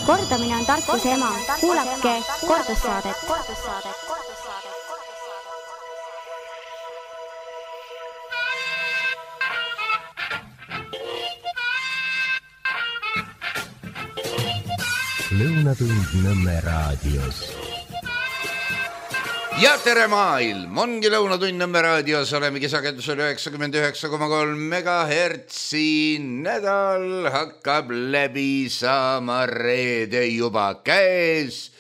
Kordamine on tarkuse ema. Kuulake kordussaadet. Lõunatund Nõmme raadios. Ja tere maailm, ongi Lõunatund Nõmme raadios, oleme kisakendusel 99,3 megahertsi. Nädal hakkab läbi saama, reede juba käes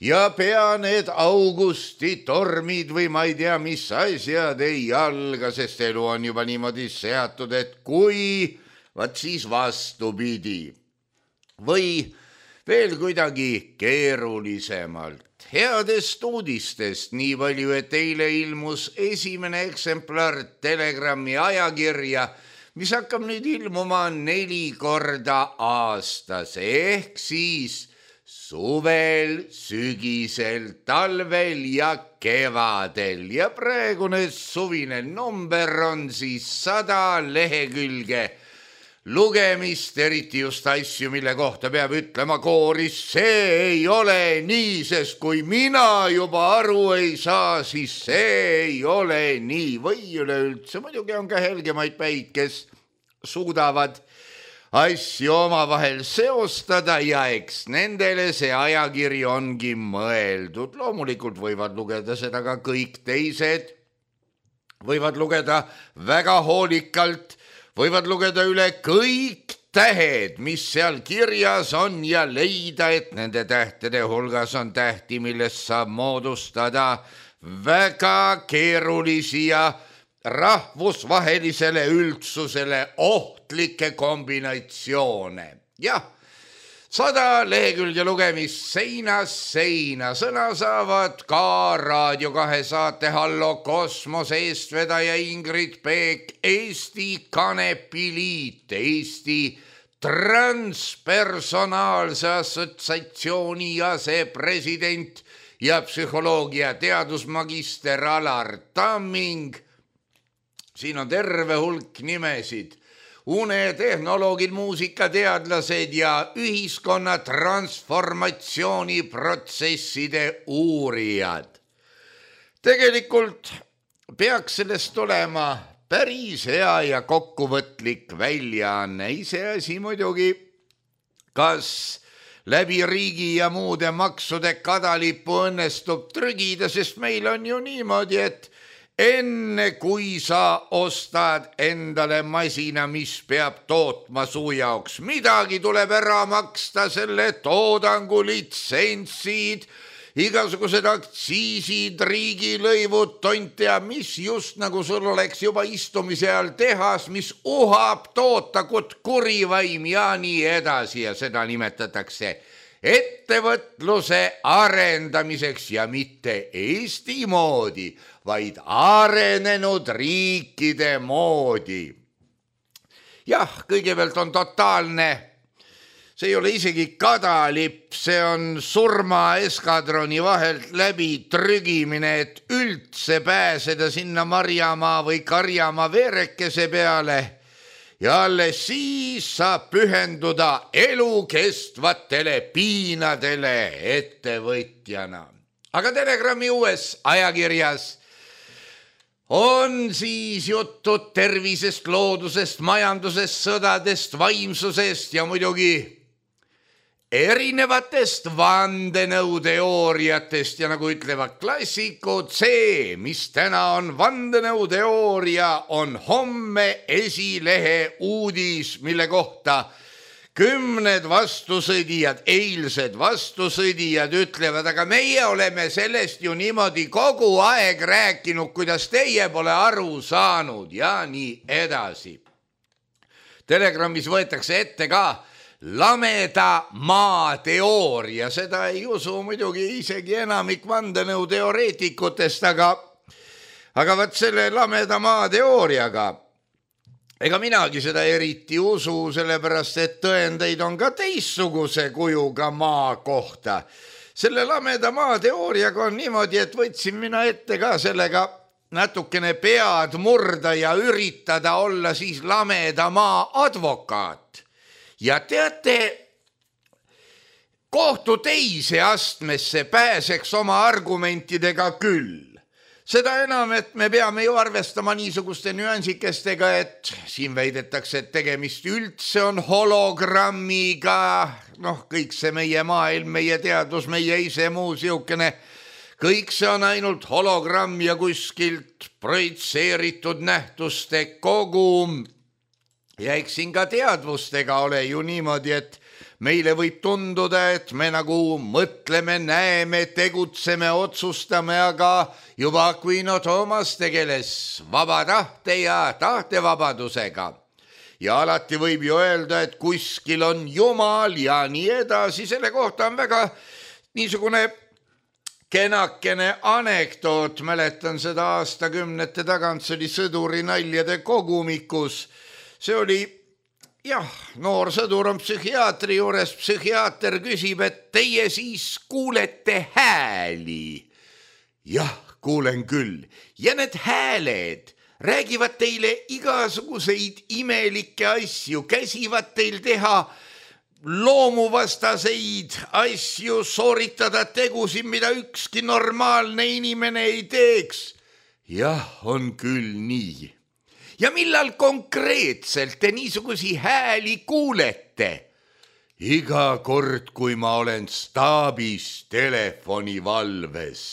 ja pea need augusti tormid või ma ei tea, mis asjad ei alga, sest elu on juba niimoodi seatud, et kui, vaat siis vastupidi või veel kuidagi keerulisemalt. Headest uudistest nii palju, et eile ilmus esimene eksemplar Telegrami ajakirja, mis hakkab nüüd ilmuma 4 korda aastas, ehk siis suvel, sügisel, talvel ja kevadel. Ja praegune suvine number on siis 100 lehekülge lugemist, eriti just asju, mille kohta peab ütlema kooris, see ei ole nii, sest kui mina juba aru ei saa, siis see ei ole nii. Või üleüldse, muidugi on ka helgemaid päid, kes suudavad asju omavahel seostada ja eks nendele see ajakiri ongi mõeldud. Loomulikult võivad lugeda seda ka kõik teised, võivad lugeda väga hoolikalt, võivad lugeda üle kõik tähed, mis seal kirjas on ja leida, et nende tähtede hulgas on tähti, millest saab moodustada väga keerulisi ja rahvusvahelisele üldsusele ohtlikke kombinatsioone. Jah, 100 lehekülge lugemist seinast seina. Sõna saavad ka Raadio 2 saate Hallo Kosmose eestvedaja Ingrid Peek, Eesti Kanepiliit, Eesti Transpersonaalse Assotsiatsiooni asepresident ja psühholoogia teadusmagister Alar Tamming. Siin on terve hulk nimesid. Unetehnoloogid, muusikateadlased ja ühiskonna transformatsiooniprotsesside uurijad. Tegelikult peaks sellest olema päris hea ja kokkuvõtlik väljaanne. Iseasi muidugi, kas läbi riigi ja muude maksude kadalippu õnnestub trügida, sest meil on ju niimoodi, et enne kui sa ostad endale masina, mis peab tootma su jaoks midagi, tuleb ära maksta selle toodangu litsentsid, igasugused aktsiisid, riigilõivud, tont ja mis just nagu sul oleks juba istumise all tehas, mis uhab tootakut kurivaim ja nii edasi ja seda nimetatakse ettevõtluse arendamiseks ja mitte Eesti moodi, vaid arenenud riikide moodi. Jah, kõigepealt on totaalne, see ei ole isegi kadalipp, see on surmaeskadroni vahelt läbi trügimine, et üldse pääseda sinna Marjamaa või Karjamaa veerekese peale ja alles siis saab pühenduda elukestvatele piinadele ettevõtjana. Aga Telegrami uues ajakirjas on siis jutud tervisest, loodusest, majandusest, sõdadest, vaimsusest ja muidugi erinevatest vandenõuteooriatest ja nagu ütlevad klassikud, see, mis täna on vandenõuteooria, on homme esilehe uudis, mille kohta 10 vastusõdijad, eilsed vastusõdijad ütlevad, aga meie oleme sellest ju niimoodi kogu aeg rääkinud, kuidas teie pole aru saanud ja nii edasi. Telegramis võetakse ette ka lameda maa teooria, seda ei usu muidugi isegi enamik vandenõuteoreetikutest, aga vaat selle lameda maa teooriaga ega minagi seda eriti usu, sellepärast et tõendeid on ka teistsuguse kujuga maa kohta. Selle lameda maa teooriaga on niimoodi, et võtsin mina ette ka sellega natukene pead murda ja üritada olla siis lameda maa advokaat. Ja teate, kohtu teise astmesse pääseks oma argumentidega küll. Seda enam, et me peame ju arvestama niisuguste nüansikestega, et siin väidetakse, et tegemist üldse on hologrammiga, kõik see meie maailm, meie teadus, meie ise muu siukene, kõik see on ainult hologramm ja kuskilt projitseeritud nähtuste kogum. Ja eks siin ka teadvustega ole ju niimoodi, et meile võib tunduda, et me nagu mõtleme, näeme, tegutseme, otsustame, aga juba Aquino Toomas tegeles vaba tahte ja tahtevabadusega. Ja alati võib ju öelda, et kuskil on Jumal ja nii edasi. Selle kohta on väga niisugune kenakene anekdoot. Mäletan seda aastakümnete tagant, see oli Sõduri naljade kogumikus. See oli noor sõdur on psühhiaatri juures, psühhiaater küsib, et teie siis kuulete hääli. Jah, kuulen küll. Ja need hääled räägivad teile igasuguseid imelikke asju, käsivad teil teha loomuvastaseid asju, sooritada tegusid, mida ükski normaalne inimene ei teeks. Jah, on küll nii. Ja millal konkreetselt te niisugusi hääli kuulete? Iga kord, kui ma olen staabis telefonivalves.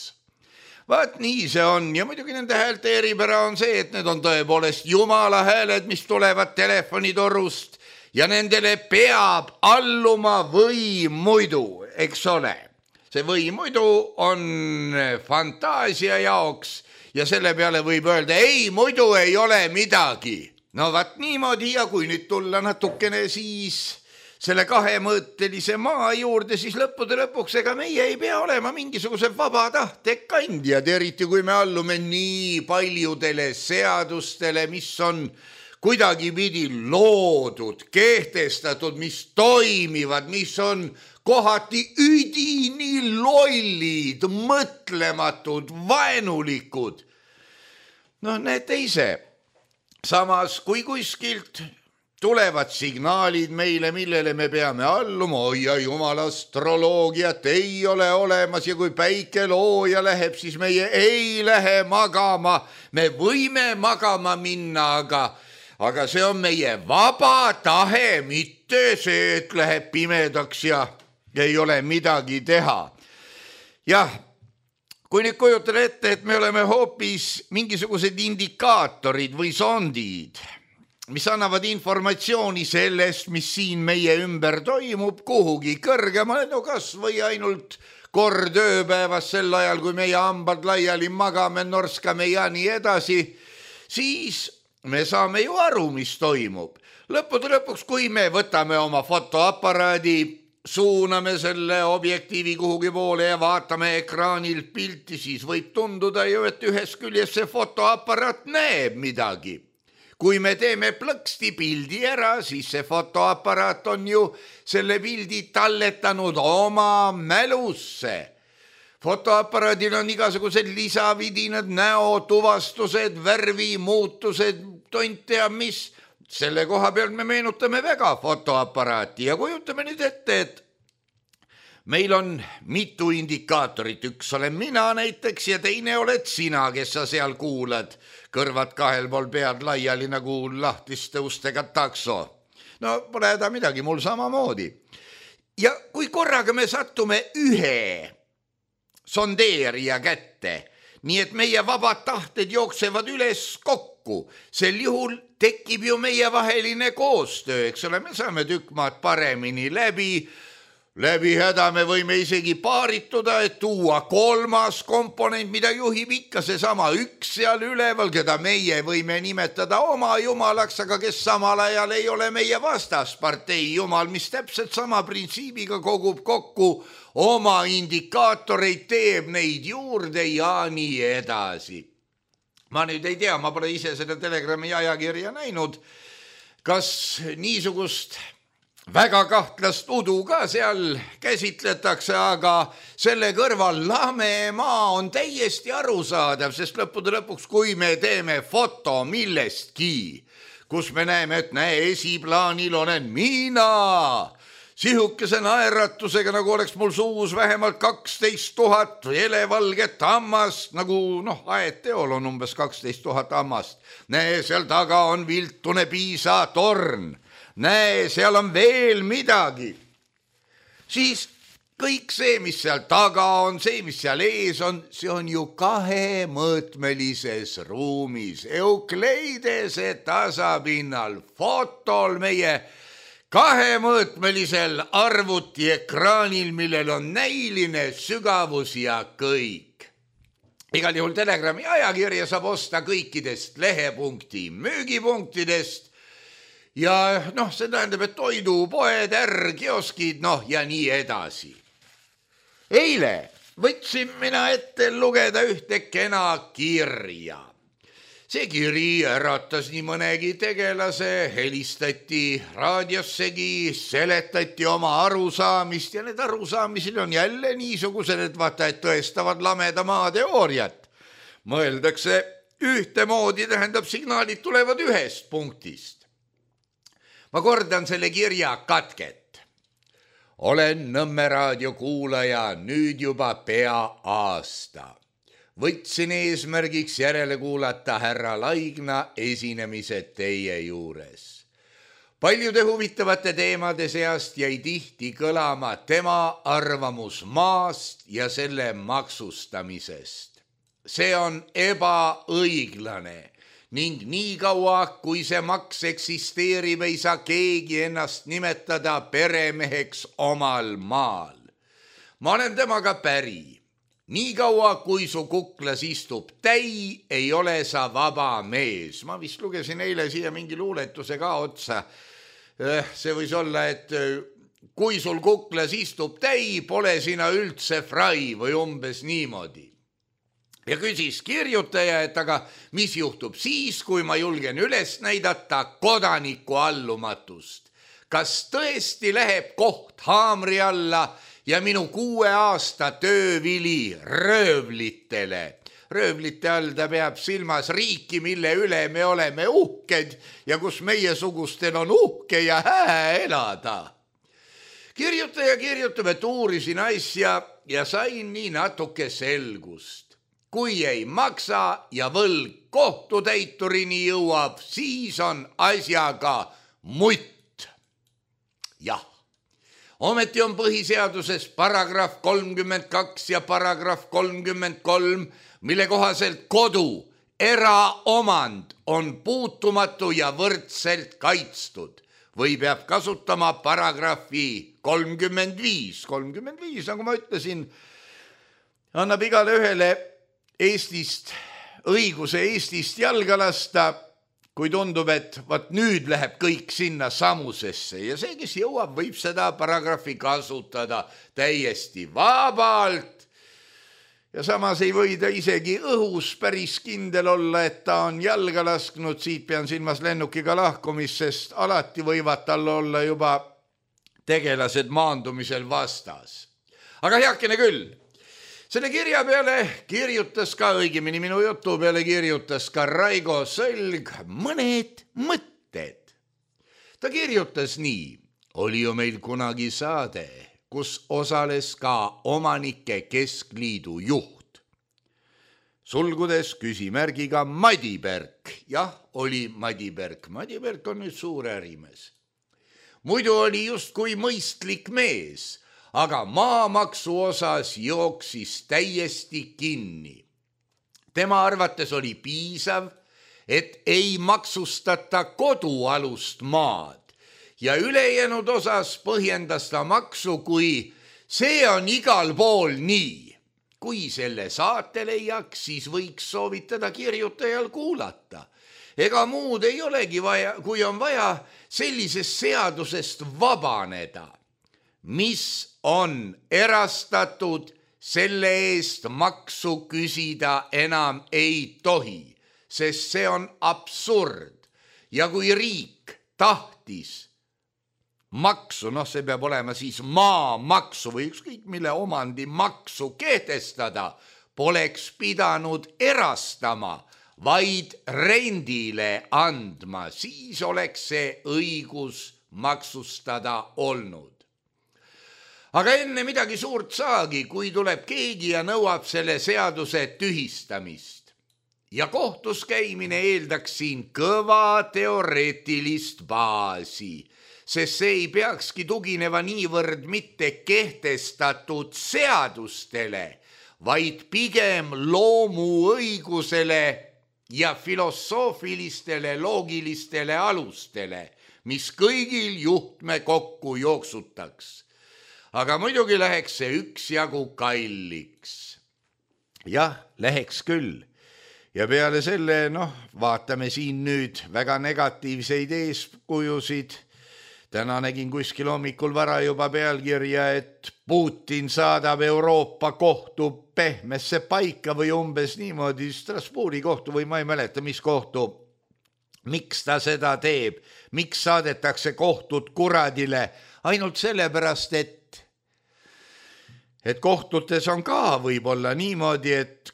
Vaat nii see on ja muidugi nende häälte eripära on see, et need on tõepoolest Jumala hääled, mis tulevad telefonitorust ja nendele peab alluma või muidu, eks ole. See või muidu on fantaasia jaoks ja selle peale võib öelda, ei, muidu ei ole midagi. No vaat niimoodi ja kui nüüd tulla natukene siis selle kahemõõtelise maa juurde, siis lõppude lõpuks ega meie ei pea olema mingisuguse vaba tahte kandjad, eriti kui me allume nii paljudele seadustele, mis on kuidagipidi loodud, kehtestatud, mis toimivad, mis on kohati üdini lollid, mõtlematud, vaenulikud. Näete ise, samas kui kuskilt tulevad signaalid meile, millele me peame alluma, oi ja jumal, astroloogiat ei ole olemas ja kui päike looja läheb, siis meie ei lähe magama. Me võime magama minna, aga see on meie vaba tahe, mitte see, et läheb pimedaks ja ei ole midagi teha. Jah, kui nüüd kujutada ette, et me oleme hoopis mingisugused indikaatorid või sondid, mis annavad informatsiooni sellest, mis siin meie ümber toimub, kuhugi kõrgemale, kas või ainult kord ööpäevas sel ajal, kui meie hambad laiali magame, norskame ja nii edasi, siis me saame ju aru, mis toimub. Lõppude lõpuks, kui me võtame oma fotoaparaadi, suuname selle objektiivi kuhugi poole ja vaatame ekraanilt pilti, siis võib tunduda ju, et ühest küljest see fotoaparaat näeb midagi. Kui me teeme plõksti pildi ära, siis see fotoaparaat on ju selle pildi talletanud oma mälusse. Fotoaparaadil on igasugused lisavidinad, näotuvastused, värvimuutused, tont teab mis. Selle koha pealt me meenutame väga fotoaparaati ja kujutame nüüd ette, et meil on mitu indikaatorit, üks olen mina näiteks ja teine oled sina, kes sa seal kuulad, kõrvad kahel pool pead laiali nagu lahtiste ustega takso. No pole häda midagi, mul samamoodi. Ja kui korraga me sattume ühe sondeerija kätte, nii et meie vabad tahted jooksevad üles kokku, sel juhul tekib ju meie vaheline koostöö, eks ole, me saame tükk maad paremini läbi häda me võime isegi paarituda, et tuua kolmas komponent, mida juhib ikka seesama üks seal üleval, keda meie võime nimetada oma jumalaks, aga kes samal ajal ei ole meie vastaspartei jumal, mis täpselt sama printsiibiga kogub kokku oma indikaatoreid, teeb neid juurde ja nii edasi. Ma nüüd ei tea, ma pole ise seda Telegrami ajakirja näinud, kas niisugust väga kahtlast udu ka seal käsitletakse, aga selle kõrval lame maa on täiesti arusaadav, sest lõppude lõpuks, kui me teeme foto millestki, kus me näeme, et näe, esiplaanil olen mina, sihukese naeratusega, nagu oleks mul suus vähemalt 12 000 helevalget hammast, nagu aedteol on umbes 12 000 hammast. Näe, seal taga on viltune piisatorn. Näe, seal on veel midagi. Siis kõik see, mis seal taga on, see, mis seal ees on, see on ju kahemõõtmelises ruumis. Eukleidese tasapinnal, fotol meie kahemõõtmelisel arvutiekraanil, millel on näiline sügavus ja kõik. Igal juhul Telegrami ajakirja saab osta kõikidest lehepunkti müügipunktidest ja see tähendab, et toidupoed, kioskid, ja nii edasi. Eile võtsin mina ette lugeda ühte kena kirja. See kiri äratas nii mõnegi tegelase, helistati raadiossegi, seletati oma arusaamist ja need arusaamised on jälle niisugused, et vaata, et tõestavad lameda maa teooriat. Mõeldakse ühtemoodi, tähendab, signaalid tulevad ühest punktist. Ma kordan selle kirja katket. Olen Nõmme raadio kuulaja nüüd juba pea aasta. Võtsin eesmärgiks järele kuulata härra Laigna esinemised teie juures. Paljude huvitavate teemade seast jäi tihti kõlama tema arvamus maast ja selle maksustamisest. See on ebaõiglane ning nii kaua, kui see maks eksisteerib, ei saa keegi ennast nimetada peremeheks omal maal. Ma olen temaga päri. Nii kaua, kui su kuklas istub täi, ei ole sa vaba mees. Ma vist lugesin eile siia mingi luuletuse ka otsa. See võis olla, et kui sul kuklas istub täi, pole sina üldse frai või umbes niimoodi. Ja küsis kirjutaja, et aga mis juhtub siis, kui ma julgen üles näidata kodaniku allumatust? Kas tõesti läheb koht haamri alla ja minu 6 aasta töövili röövlitele? Röövlite all ta peab silmas riiki, mille üle me oleme uhked ja kus meiesugustel on uhke ja hää elada. Kirjutaja kirjutab, et uurisin asja ja sain nii natuke selgust. Kui ei maksa ja võlg kohtutäiturini jõuab, siis on asjaga mutt. Jah, ometi on põhiseaduses paragrahv 32 ja paragrahv 33, mille kohaselt kodu, eraomand on puutumatu ja võrdselt kaitstud või peab kasutama paragrahvi 35. 35, nagu ma ütlesin, annab igale ühele Eestist õiguse Eestist jalga lasta, kui tundub, et nüüd läheb kõik sinna samusesse ja see, kes jõuab, võib seda paragrahvi kasutada täiesti vabalt. Ja samas ei või ta isegi õhus päris kindel olla, et ta on jalga lasknud, siit pean silmas lennukiga lahkumist, sest alati võivad tal olla juba tegelased maandumisel vastas. Aga heakene küll. Selle kirja peale kirjutas ka, õigemini minu jutu peale kirjutas ka Raigo Sölg mõned mõtted. Ta kirjutas nii, oli ju meil kunagi saade, kus osales ka Omanike Keskliidu juht. Sulgudes küsimärgiga Madiberg. Jah, oli Madiberg. Madiberg on nüüd suur ärimees. Muidu oli justkui mõistlik mees, aga maamaksu osas jooksis täiesti kinni. Tema arvates oli piisav, et ei maksustata kodualust maad ja ülejäänud osas põhjendas ta maksu, kui see on igal pool nii. Kui selle saate leiaks, siis võiks soovitada kirjutajal kuulata. Ega muud ei olegi vaja, kui on vaja sellisest seadusest vabaneda. Mis on erastatud, selle eest maksu küsida enam ei tohi, sest see on absurd. Ja kui riik tahtis maksu, see peab olema siis maamaksu või ükskõik mille omandi maksu kehtestada, poleks pidanud erastama, vaid rendile andma, siis oleks see õigus maksustada olnud. Aga enne midagi suurt saagi, kui tuleb keegi ja nõuab selle seaduse tühistamist. Ja kohtus käimine eeldaks siin kõva teoreetilist baasi, sest see ei peakski tugineva niivõrd mitte kehtestatud seadustele, vaid pigem loomuõigusele ja filosoofilistele loogilistele alustele, mis kõigil juhtme kokku jooksutaks. Aga muidugi läheks see üksjagu kalliks. Jah, läheks küll. Ja peale selle, vaatame siin nüüd väga negatiivseid eeskujusid. Täna nägin kuskil hommikul vara juba pealkirja, et Putin saadab Euroopa kohtu pehmesse paika või umbes niimoodi Strasbourgi kohtu või ma ei mäleta, mis kohtu. Miks ta seda teeb? Miks saadetakse kohtud kuradile? Ainult sellepärast, et kohtutes on ka võib-olla niimoodi, et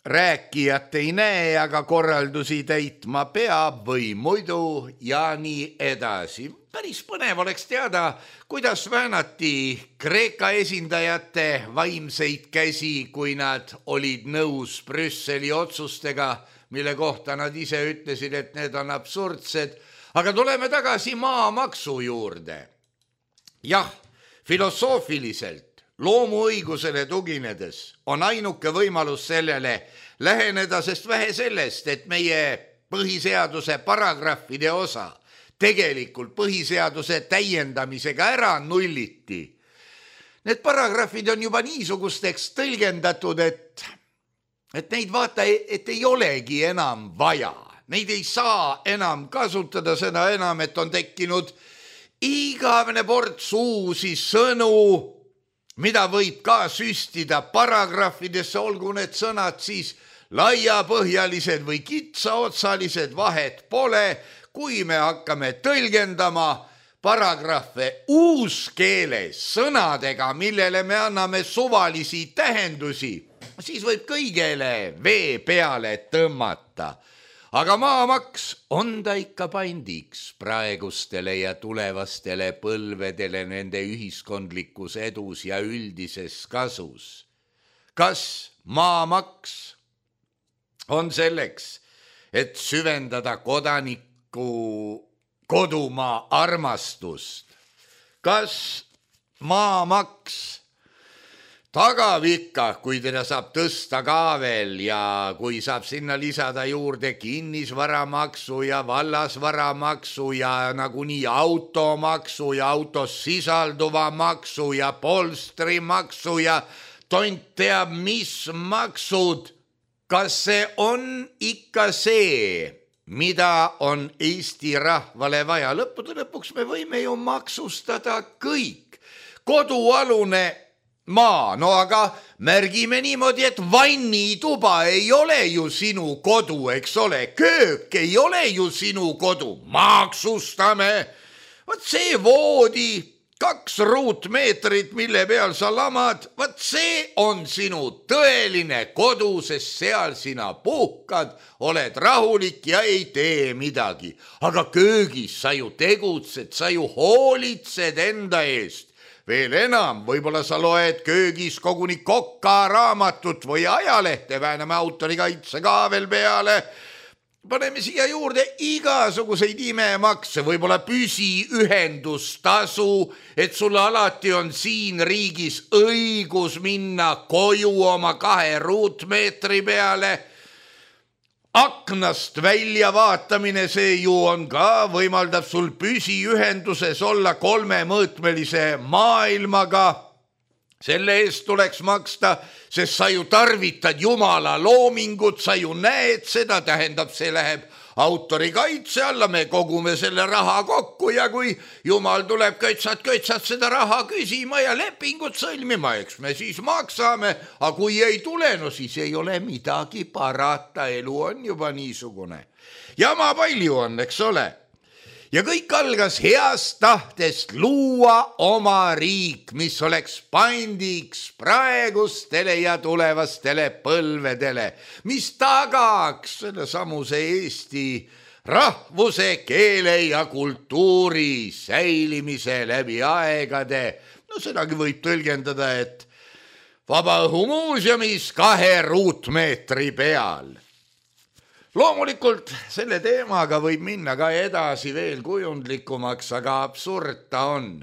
rääkijat ei näe, aga korraldusi täitma peab või muidu ja nii edasi. Päris põnev oleks teada, kuidas väänati Kreeka esindajate vaimseid käsi, kui nad olid nõus Brüsseli otsustega, mille kohta nad ise ütlesid, et need on absurdsed. Aga tuleme tagasi maamaksu juurde. Jah, filosoofiliselt, loomuõigusele tuginedes on ainuke võimalus sellele läheneda, sest vähe sellest, et meie põhiseaduse paragrahvide osa tegelikult põhiseaduse täiendamisega ära nulliti. Need paragrahvid on juba niisugusteks tõlgendatud, et neid vaata, et ei olegi enam vaja. Neid ei saa enam kasutada, seda enam, et on tekkinud igavene ports uusi sõnu, mida võib ka süstida paragrahvidesse, olgu need sõnad siis laiapõhjalised või kitsaotsalised, vahet pole, kui me hakkame tõlgendama paragrahve uuskeeles sõnadega, millele me anname suvalisi tähendusi, siis võib kõigele vee peale tõmmata. Aga maamaks on ta ikka pandiks praegustele ja tulevastele põlvedele nende ühiskondlikus edus ja üldises kasus. Kas maamaks on selleks, et süvendada kodaniku kodumaa armastust? Kas maamaks tagab ikka, kui teda saab tõsta ka veel ja kui saab sinna lisada juurde kinnisvaramaksu ja vallasvaramaksu ja nagunii automaksu ja autos sisalduva maksu ja polstrimaksu ja tont teab mis maksud. Kas see on ikka see, mida on Eesti rahvale vaja? Lõppude lõpuks me võime ju maksustada kõik. Kodualune maa, aga märgime niimoodi, et vannituba ei ole ju sinu kodu, eks ole, köök ei ole ju sinu kodu, maksustame. Vaat see voodi, 2 ruutmeetrit, mille peal sa lamad, vaat see on sinu tõeline kodu, sest seal sina puhkad, oled rahulik ja ei tee midagi. Aga köögis sa ju tegutsed, sa ju hoolitsed enda eest. Veel enam, võib-olla sa loed köögis koguni Koka raamatut või ajalehte, vääname autorikaitse ka veel peale. Paneme siia juurde igasuguseid imemakse, võib-olla püsiühendustasu, et sul alati on siin riigis õigus minna koju oma 2 ruutmeetri peale. Aknast välja vaatamine, see ju on ka, võimaldab sul püsiühenduses olla 3-mõõtmelise maailmaga. Selle eest tuleks maksta, sest sa ju tarvitad Jumala loomingut, sa ju näed seda, tähendab, see läheb autorikaitse alla, me kogume selle raha kokku ja kui Jumal tuleb köitsat seda raha küsima ja lepingut sõlmima, eks me siis maksame, aga kui ei tule, no siis ei ole midagi parata, elu on juba niisugune. Jama palju on, eks ole. Ja kõik algas heast tahtest luua oma riik, mis oleks pandiks praegustele ja tulevastele põlvedele, mis tagaks selle samuse Eesti rahvuse, keele ja kultuuri säilimise läbi aegade. No sedagi võib tõlgendada, et Vabaõhumuuseumis 2 ruutmeetri peal. Loomulikult selle teemaga võib minna ka edasi veel kujundlikumaks, aga absurd ta on.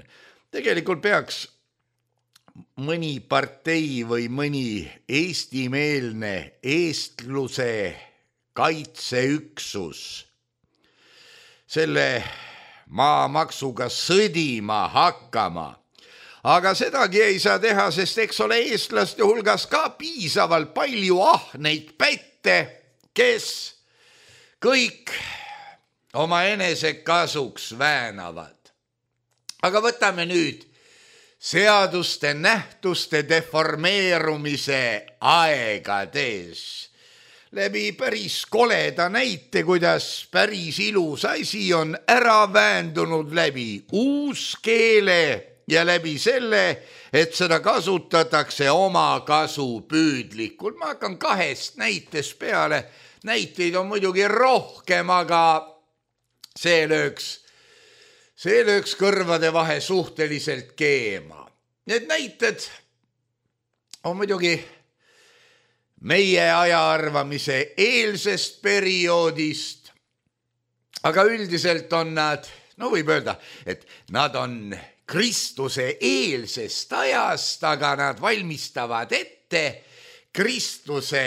Tegelikult peaks mõni partei või mõni eestimeelne eestluse kaitseüksus selle maamaksuga sõdima hakkama. Aga sedagi ei saa teha, sest eks ole eestlaste hulgas ka piisavalt palju ahneid pätte, kes kõik oma enese kasuks väänavad. Aga võtame nüüd seaduste nähtuste deformeerumise aegades läbi päris koleda näite, kuidas päris ilus asi on ära väändunud läbi uuskeele ja läbi selle, et seda kasutatakse oma kasu püüdlikult. Ma hakkan 2 näitest peale. Näiteid on muidugi rohkem, aga see lööks kõrvade vahe suhteliselt keema. Need näited on muidugi meie ajaarvamise eelsest perioodist, aga üldiselt on nad, no võib öelda, et nad on Kristuse eelsest ajast, aga nad valmistavad ette Kristuse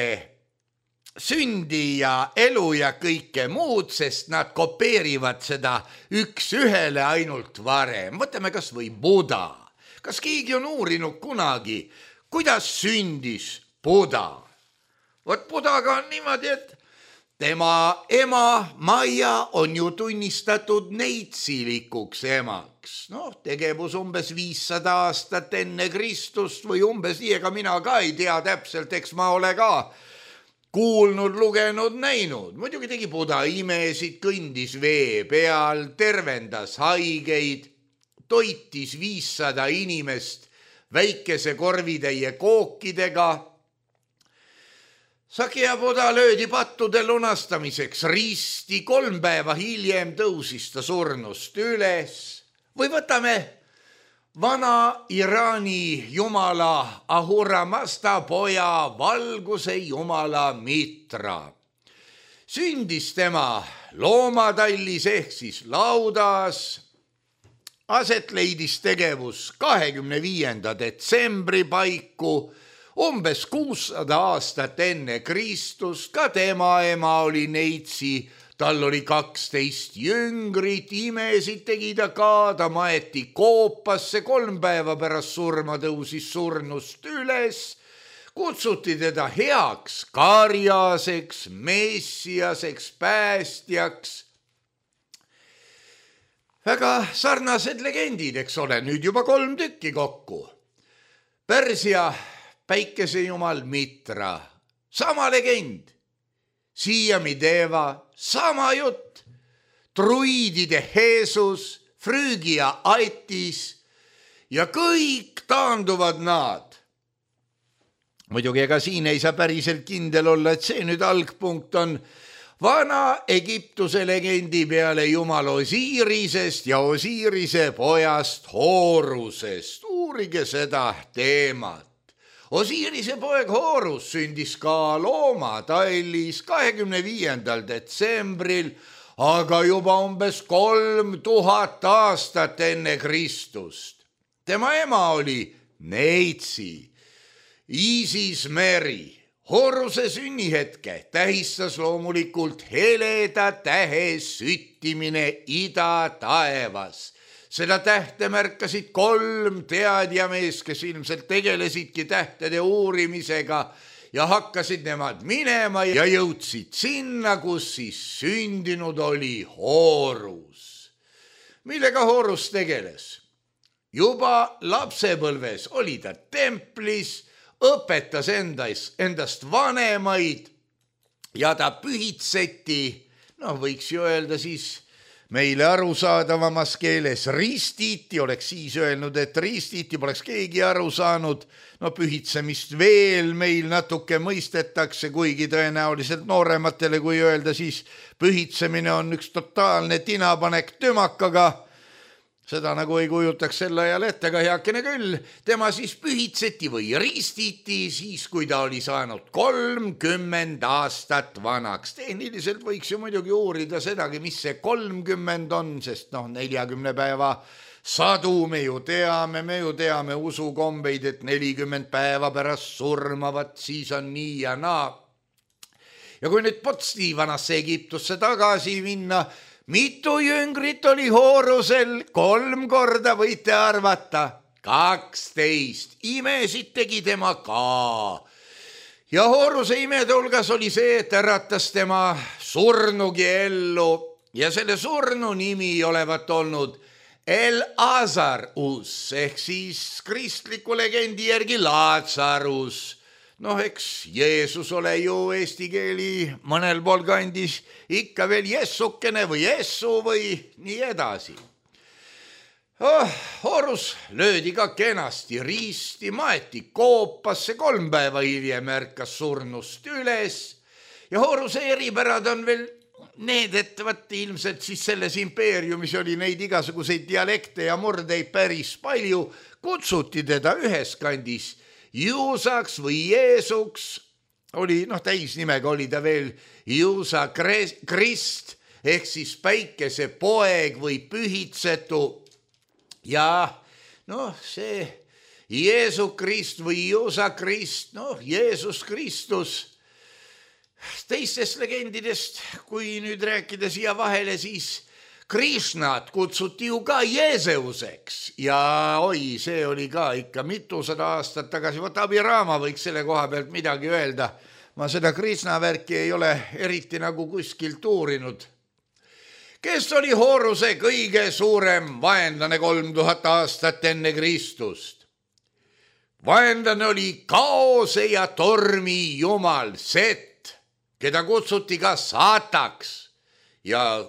sündi ja elu ja kõike muud, sest nad kopeerivad seda üks ühele ainult varem. Võtame kas või Buda. Kas keegi on uurinud kunagi, kuidas sündis Buda? Vot Budaga on niimoodi, et tema ema Maia on ju tunnistatud neitsilikuks emaks. No, tegevus umbes 500 aastat enne Kristust või umbes nii, ega mina ka ei tea täpselt, eks ma ole ka kuulnud, lugenud, näinud. Muidugi tegi Buda imesid, kõndis vee peal, tervendas haigeid, toitis 500 inimest väikese korvitäie kookidega. Sakja Buda löödi pattude lunastamiseks risti, 3 päeva hiljem tõusis ta surnust üles. Või võtame vana Iraani jumala Ahura Mazda poja valguse jumala Mitra. Sündis tema loomatallis ehk siis laudas. Aset leidis tegevus 25. detsembri paiku, umbes 600 aastat enne Kristust. Ka tema ema oli neitsi, tal oli 12 jüngrit, imesid tegi ta ka, ta maeti koopasse, 3 päeva pärast surma tõusis surnust üles. Kutsuti teda heaks karjaseks, messiaseks, päästjaks. Väga sarnased legendid, eks ole, nüüd juba 3 tükki kokku. Persia päikesejumal Mitra, sama legend. Siiamideva, sama jutt. Druidide Jeesus, Früügia Aitis ja kõik taanduvad nad. Muidugi ega siin ei saa päriselt kindel olla, et see nüüd algpunkt on vana Egiptuse legendi peale jumal Osirisest ja Osirise pojast Horusest. Uurige seda teemat. Osirise poeg Horus sündis ka loomatallis 25. detsembril, aga juba umbes 3000 aastat enne Kristust. Tema ema oli neitsi, Isis Meri. Horuse sünnihetke tähistas loomulikult heleda tähe süttimine ida taevas. Seda tähte märkasid 3 teadjamees, kes ilmselt tegelesidki tähtede uurimisega ja hakkasid nemad minema ja jõudsid sinna, kus siis sündinud oli Horus. Millega Horus tegeles? Juba lapsepõlves oli ta templis, õpetas endast vanemaid ja ta pühitseti, võiks ju öelda siis meile arusaadavamas keeles ristiti, oleks siis öelnud, et ristiti, poleks keegi aru saanud. No pühitsemist veel meil natuke mõistetakse, kuigi tõenäoliselt noorematele, kui öelda, siis pühitsemine on üks totaalne tinapanek tümakaga. Seda nagu ei kujutaks sel ajal ette, ka heakene küll. Tema siis pühitseti või ristiti siis, kui ta oli saanud 30 aastat vanaks. Tehniliselt võiks ju muidugi uurida sedagi, mis see 30 on, sest 40 päeva sadu me ju teame usukombeid, et 40 päeva pärast surmavat, siis on nii ja naa. Ja kui nüüd potsti vanasse Egiptusse tagasi minna, mitu jüngrit oli Horusel? 3 korda, võite arvata. 12. Imesid tegi tema ka. Ja Horuse imede hulgas oli see, et äratas tema surnugi ellu. Ja selle surnu nimi olevat olnud El-Azarus, ehk siis kristliku legendi järgi Lazarus. Eks Jeesus ole ju eesti keeli mõnel pool kandis ikka veel jessukene või jessu või nii edasi. Horus löödi ka kenasti risti, maeti koopasse, 3 päeva hiljem ärkas surnust üles ja Horuse eripärad on veel need, et ilmselt siis selles impeeriumis oli neid igasuguseid dialekte ja murdeid päris palju, kutsuti teda ühes kandis Juusaks või Jeesuks, oli täisnimega oli ta veel Juusa Krist, ehk siis päikese poeg või pühitsetu. Ja see Jeesu Krist või Juusa Krist, Jeesus Kristus. Teistest legendidest, kui nüüd rääkida siia vahele, siis Krishnat kutsuti ju ka Jeeseuseks ja see oli ka ikka mitusada aastat tagasi. Abhirama võiks selle koha pealt midagi öelda. Ma seda Krishna värki ei ole eriti nagu kuskilt uurinud. Kes oli Horuse kõige suurem vaenlane 3000 aastat enne Kristust? Vaenlane oli kaose ja tormi jumal Set, keda kutsuti ka Saataks ja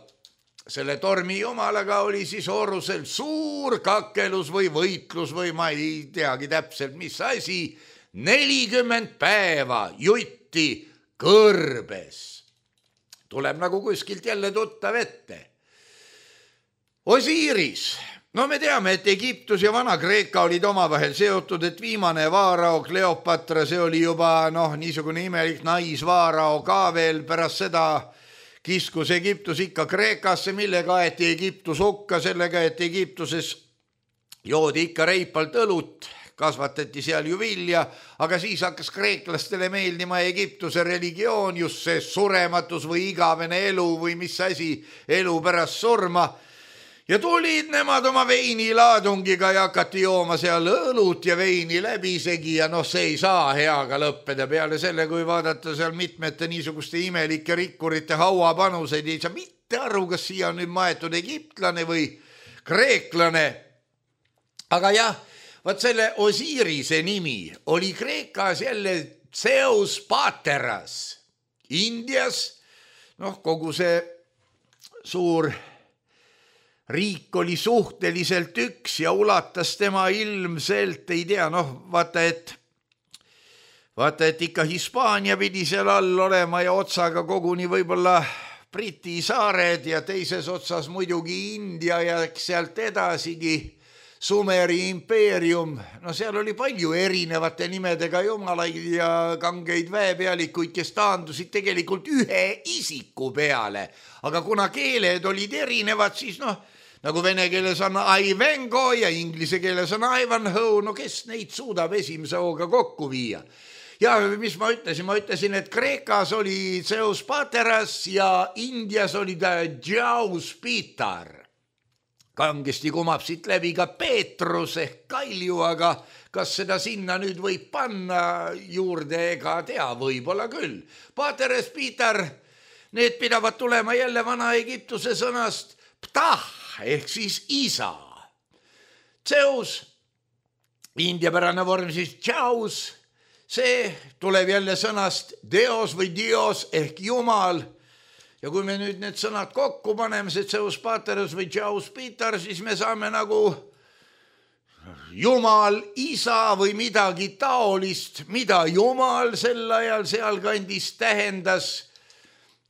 selle tormi jumalaga oli siis Horusel suur kakelus või võitlus või ma ei teagi täpselt, mis asi. 40 päeva jutti kõrbes. Tuleb nagu kuskilt jälle tuttav ette. Osiris. Me teame, et Egiptus ja Vana-Kreeka olid omavahel seotud, et viimane vaarao Kleopatra, see oli juba niisugune imelik naisvaarao ka veel. Pärast seda kiskus Egiptus ikka Kreekasse, millega aeti Egiptus hukka, sellega, et Egiptuses joodi ikka reipalt õlut, kasvatati seal ju vilja, aga siis hakkas kreeklastele meeldima Egiptuse religioon, just see surematus või igavene elu või mis asi, elu pärast surma. Ja tulid nemad oma veinilaadungiga ja hakati jooma seal õlut ja veini läbisegi ja see ei saa heaga lõppeda. Peale selle, kui vaadata seal mitmete niisuguste imelike rikkurite hauapanuseid, ei saa mitte aru, kas siia on nüüd maetud egiptlane või kreeklane. Aga jah, selle Osirise nimi oli Kreekas jälle Zeus Pateras. Indias, kogu see suur riik oli suhteliselt üks ja ulatas tema ilmselt, ei tea, vaata, et ikka Hispaania pidi seal all olema ja otsaga koguni võib-olla Briti saared ja teises otsas muidugi India ja sealt edasigi Sumeri impeerium. Seal oli palju erinevate nimedega jumalaid ja kangeid väepealikuid, kes taandusid tegelikult ühe isiku peale. Aga kuna keeled olid erinevad, siis nagu vene keeles on Ivango ja inglise keeles on Ivanhoe, kes neid suudab esimese hooga kokku viia. Ja mis ma ütlesin? Ma ütlesin, et Kreekas oli Zeus Pateras ja Indias oli ta Jaus Pitar. Kangesti kumab siit läbi ka Peetrus ehk Kalju, aga kas seda sinna nüüd võib panna juurde, ega tea, võib-olla küll. Pateres, Pitar, need pidavad tulema jälle Vana-Egiptuse sõnast ptah ehk siis isa. Zeus, indiapärane vorm siis Jaus, see tuleb jälle sõnast Deos või Dios ehk Jumal. Ja kui me nüüd need sõnad kokku paneme, see Zeus Paterus või Zeus Peter, siis me saame nagu Jumal, isa või midagi taolist, mida Jumal sel ajal sealkandis tähendas,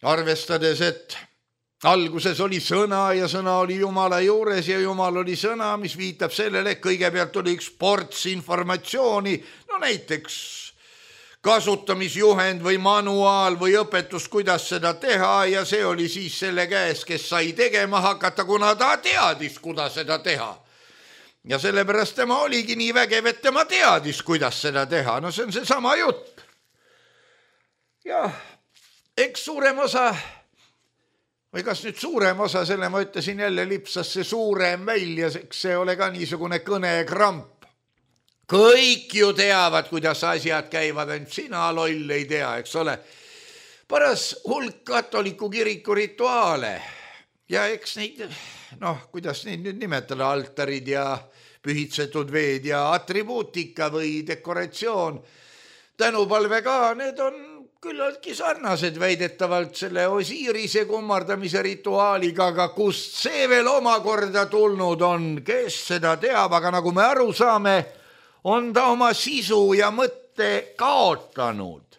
arvestades, et alguses oli sõna ja sõna oli Jumala juures ja Jumal oli sõna, mis viitab sellele, et kõigepealt oli üks ports informatsiooni, no näiteks kasutamisjuhend või manuaal või õpetus, kuidas seda teha ja see oli siis selle käes, kes sai tegema hakata, kuna ta teadis, kuidas seda teha. Ja sellepärast tema oligi nii vägev, et tema teadis, kuidas seda teha. No see on see sama jutt. Ja eks suurem osa, või kas nüüd suurem osa, selle ma ütlesin jälle lipsas see suurem välja, see ole ka niisugune kõnekramp. Kõik ju teavad, kuidas asjad käivad, ainult sina loll ei tea, eks ole. Paras hulk katoliku kiriku rituaale ja eks neid, kuidas neid nüüd nimetada, altarid ja pühitsetud veed ja atribuutika või dekoratsioon, tänupalve ka, need on küllaltki sarnased väidetavalt selle Osirise kummardamise rituaaliga, aga kust see veel omakorda tulnud on, kes seda teab, aga nagu me aru saame, on ta oma sisu ja mõtte kaotanud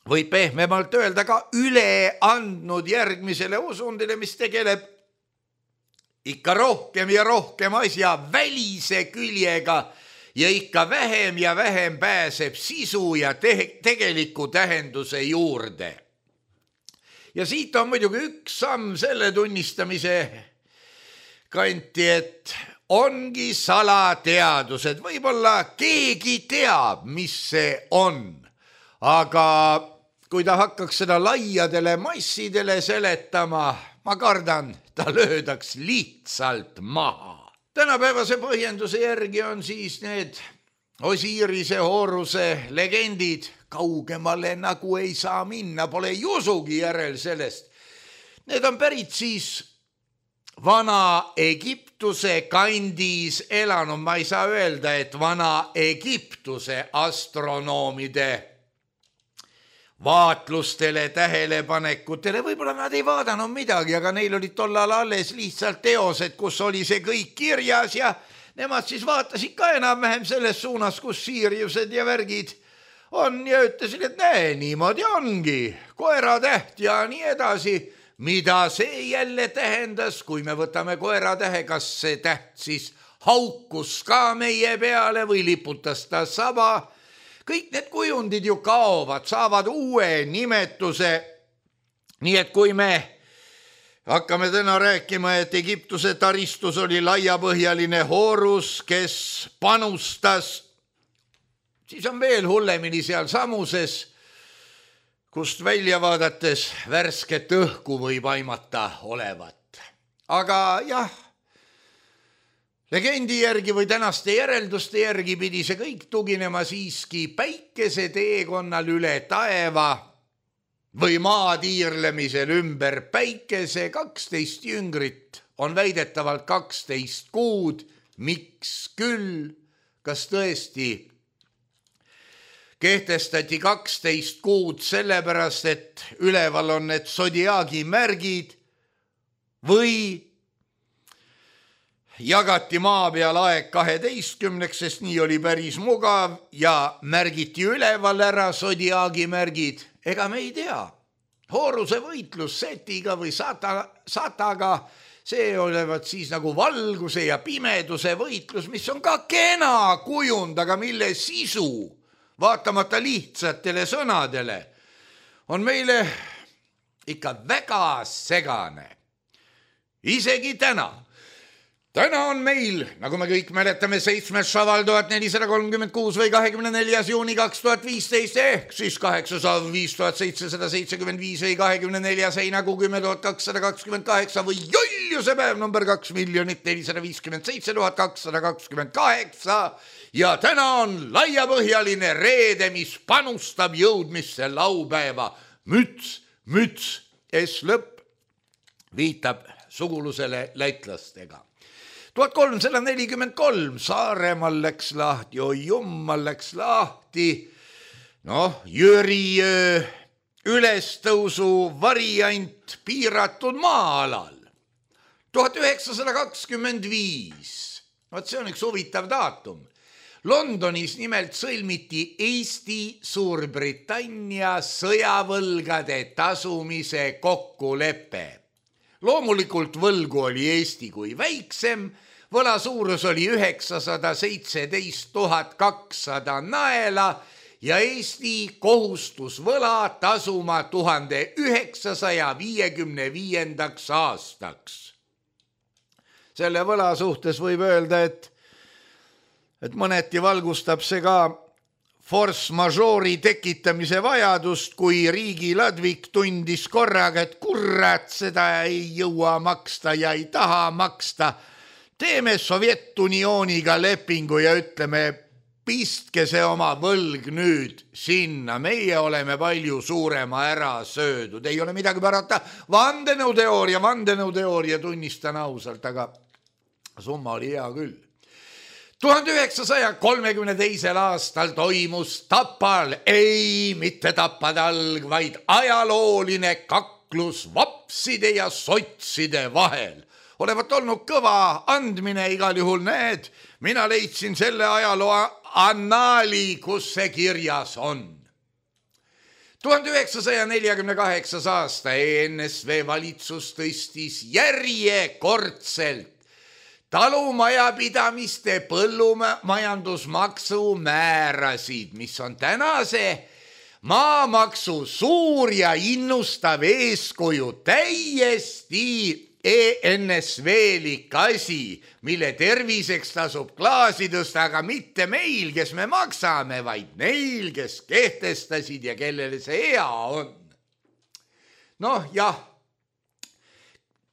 või pehmemalt öelda ka üle andnud järgmisele usundile, mis tegeleb ikka rohkem ja rohkem asja välise küljega ja ikka vähem ja vähem pääseb sisu ja tegeliku tähenduse juurde. Ja siit on muidugi üks samm selle tunnistamise kanti, et ongi salateadused. Võib-olla keegi teab, mis see on, aga kui ta hakkaks seda laiadele massidele seletama, ma kardan, ta löödaks lihtsalt maha. Tänapäevase põhjenduse järgi on siis need Osirise, Horuse legendid kaugemale nagu ei saa minna, pole jusugi järel sellest. Need on pärit siis Vana-Egiptuse kandis elanud, ma ei saa öelda, et Vana-Egiptuse astronoomide vaatlustele, tähelepanekutele, võib-olla nad ei vaadanud midagi, aga neil olid tollal alles lihtsalt teosed, kus oli see kõik kirjas ja nemad siis vaatasid ka enam-vähem selles suunas, kus Siiriused ja värgid on ja ütlesid, et näe, niimoodi ongi, koeratäht ja nii edasi. Mida see jälle tähendas, kui me võtame koeratähe, kas see täht siis haukus ka meie peale või liputas ta saba? Kõik need kujundid ju kaovad, saavad uue nimetuse. Nii et kui me hakkame täna rääkima, et Egiptuse taristus oli laiapõhjaline Horus, kes panustas, siis on veel hullemini seal Samuses, kust välja vaadates värsket õhku võib aimata olevat. Aga jah, legendi järgi või tänaste järelduste järgi pidi see kõik tuginema siiski päikese teekonnal üle taeva või maatiirlemisel ümber päikese. 12 jüngrit on väidetavalt 12 kuud. Miks küll? Kas tõesti kehtestati 12 kuud sellepärast, et üleval on need sodiaagi märgid või jagati maa peal aeg 12, sest nii oli päris mugav ja märgiti üleval ära sodiaagi märgid. Ega me ei tea. Horuse võitlus Setiga või Sataga, see olevat siis nagu valguse ja pimeduse võitlus, mis on ka kena kujund, aga mille sisu, vaatamata lihtsatele sõnadele, on meile ikka väga segane. Isegi täna. Täna on meil, nagu me kõik mäletame, 7. šaval 1436 või 24. juuni 2015 ehk siis 805 775 või 24. heinakuu 10 228 või joljuse päev number 2 457 228 ja täna on laiapõhjaline reede, mis panustab jõudmisse laupäeva. Müts, S-lõpp viitab sugulusele lätlastega. 1343 Saaremaal läks lahti, oi jummal läks lahti. Jüri ülestõusu variant piiratud maa-alal. 1925, vaat see on üks huvitav daatum. Londonis nimelt sõlmiti Eesti-Suurbritannia sõjavõlgade tasumise kokkulepe. Loomulikult võlgu oli Eesti kui väiksem, võla suurus oli 917 200 naela ja Eesti kohustus võla tasuma 1955. aastaks. Selle võla suhtes võib öelda, et mõneti valgustab see ka force majeure'i tekitamise vajadust, kui riigi ladvik tundis korraga, et kurat, seda ei jõua maksta ja ei taha maksta. Teeme Sovjet-Unioniga lepingu ja ütleme, pistke see oma võlg nüüd sinna, meie oleme palju suurema ära söödud, ei ole midagi parata. Vandenõuteooria, tunnistan ausalt, aga summa oli hea küll. 1932. aastal toimus Tapal, ei mitte tapatalg, vaid ajalooline kaklus vapside ja sotside vahel. Olevat olnud kõva andmine igal juhul, need, mina leidsin selle ajaloo annaali, kus see kirjas on. 1948. aasta ENSV valitsus tõstis järjekordselt talumajapidamiste põllumajandusmaksu määrasid, mis on tänase maamaksu suur ja innustav eeskuju, täiesti ENSV-lik asi, mille terviseks tasub klaasi tõsta, aga mitte meil, kes me maksame, vaid neil, kes kehtestasid ja kellele see hea on. Noh, jah.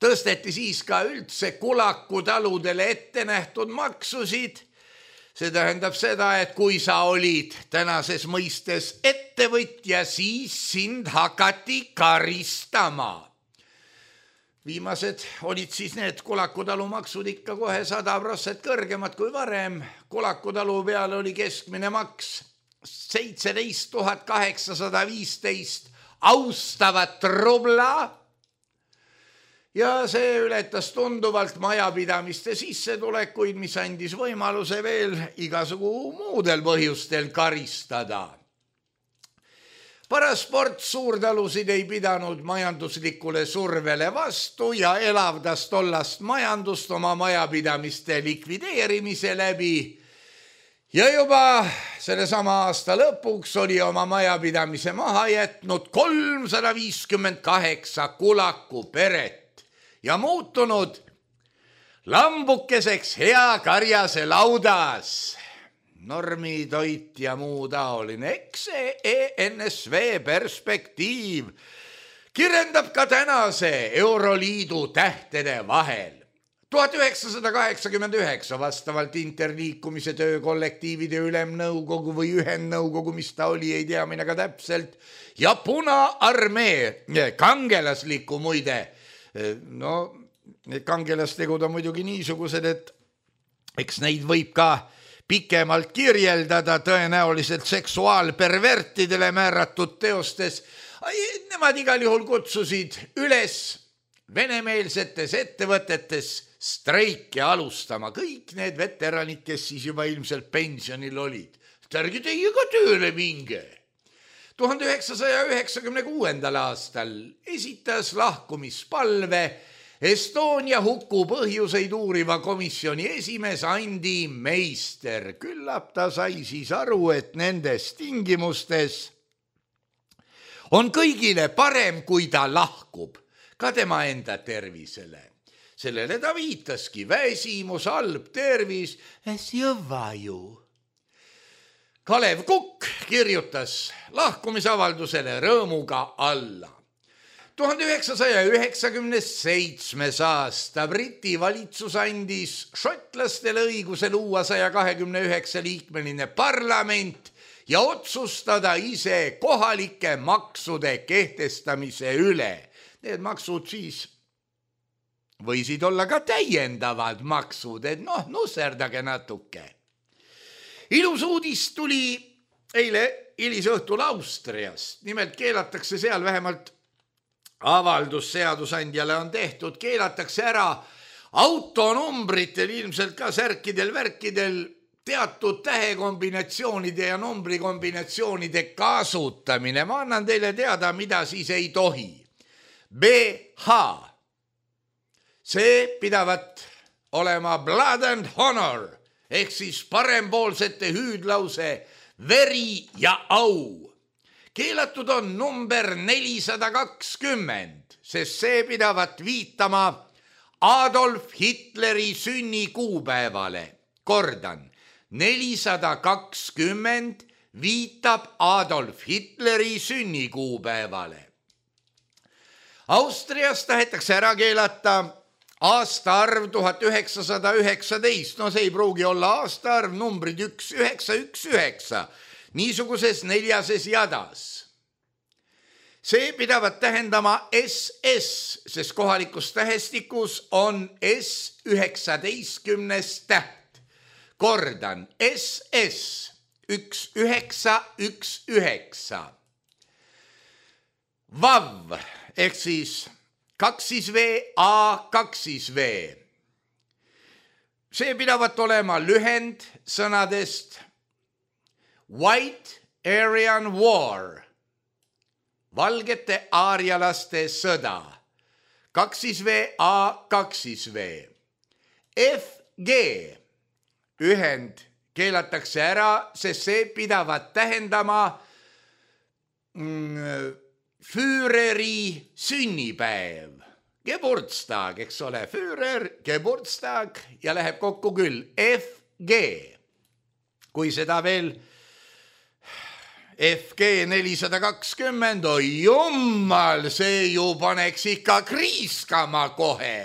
Tõsteti siis ka üldse kulakutaludele ette nähtud maksusid. See tähendab seda, et kui sa olid tänases mõistes ettevõtja, siis sind hakati karistama. Viimased olid siis need kulakutalumaksud ikka kohe 100% kõrgemad kui varem. Kulakutalu peale oli keskmine maks 17 815 austavat rubla. Ja see ületas tunduvalt majapidamiste sissetulekuid, mis andis võimaluse veel igasugu muudel põhjustel karistada. Parasport suurtalusid ei pidanud majanduslikule survele vastu ja elavdas tollast majandust oma majapidamiste likvideerimise läbi. Ja juba sellesama aasta lõpuks oli oma majapidamise maha jätnud 358 kulaku peret. Ja muutunud lambukeseks hea karjase laudas. Normitoit ja muu taoline. Eks see ENSV perspektiiv kirjeldab ka tänase Euroliidu tähtede vahel. 1989 vastavalt interliikumise töökollektiivide ülemnõukogu või ühendnõukogu, mis ta oli, ei tea mina ka täpselt, ja Punaarmee kangelasliku muide. No, need kangelastegud on muidugi niisugused, et eks neid võib ka pikemalt kirjeldada tõenäoliselt seksuaalpervertidele määratud teostes. Nemad igal juhul kutsusid üles venemeelsetes ettevõtetes streiki alustama. Kõik need veteranid, kes siis juba ilmselt pensionil olid. Ärge teie ka tööle minge. 1996. aastal esitas lahkumispalve Estonia huku põhjuseid uuriva komisjoni esimees Andi Meister. Küllap ta sai siis aru, et nendes tingimustes on kõigile parem, kui ta lahkub, ka tema enda tervisele. Sellele ta viitaski, väsimus, halb tervis, ju. Kalev Kukk kirjutas lahkumisavaldusele rõõmuga alla. 1997. aasta Briti valitsus andis šotlastele õiguse luua 129-liikmeline parlament ja otsustada ise kohalike maksude kehtestamise üle. Need maksud siis võisid olla ka täiendavad maksud, et nusserdage natuke. Ilus uudis tuli eile hilisõhtul Austrias. Nimelt keelatakse seal, vähemalt avaldus seadusandjale on tehtud, keelatakse ära autonumbritel, ilmselt ka särkidel-värkidel teatud tähekombinatsioonide ja numbrikombinatsioonide kasutamine. Ma annan teile teada, mida siis ei tohi. BH. See pidavat olema blood and honor ehk siis parempoolsete hüüdlause veri ja au. Keelatud on number 420, sest see pidavat viitama Adolf Hitleri sünnikuupäevale. Kordan, 420 viitab Adolf Hitleri sünnikuupäevale. Austrias tahetakse ära keelata aastaarv 1919, no see ei pruugi olla aastaarv, numbrid 1919, niisuguses 4 jadas. See pidavat tähendama SS, sest kohalikus tähestikus on S19 täht. Kordan, SS 1919. VAV ehk siis 2V, A2V. See pidavat olema lühend sõnadest White Aryan War, valgete aarialaste sõda. 2V, A2V. FG ühend keelatakse ära, sest see pidavat tähendama Führeri sünnipäev. Geburtstag, eks ole, Führer, Geburtstag ja läheb kokku küll. FG. Kui seda veel FG 420, oi jummal, see ju paneks ikka kriiskama kohe.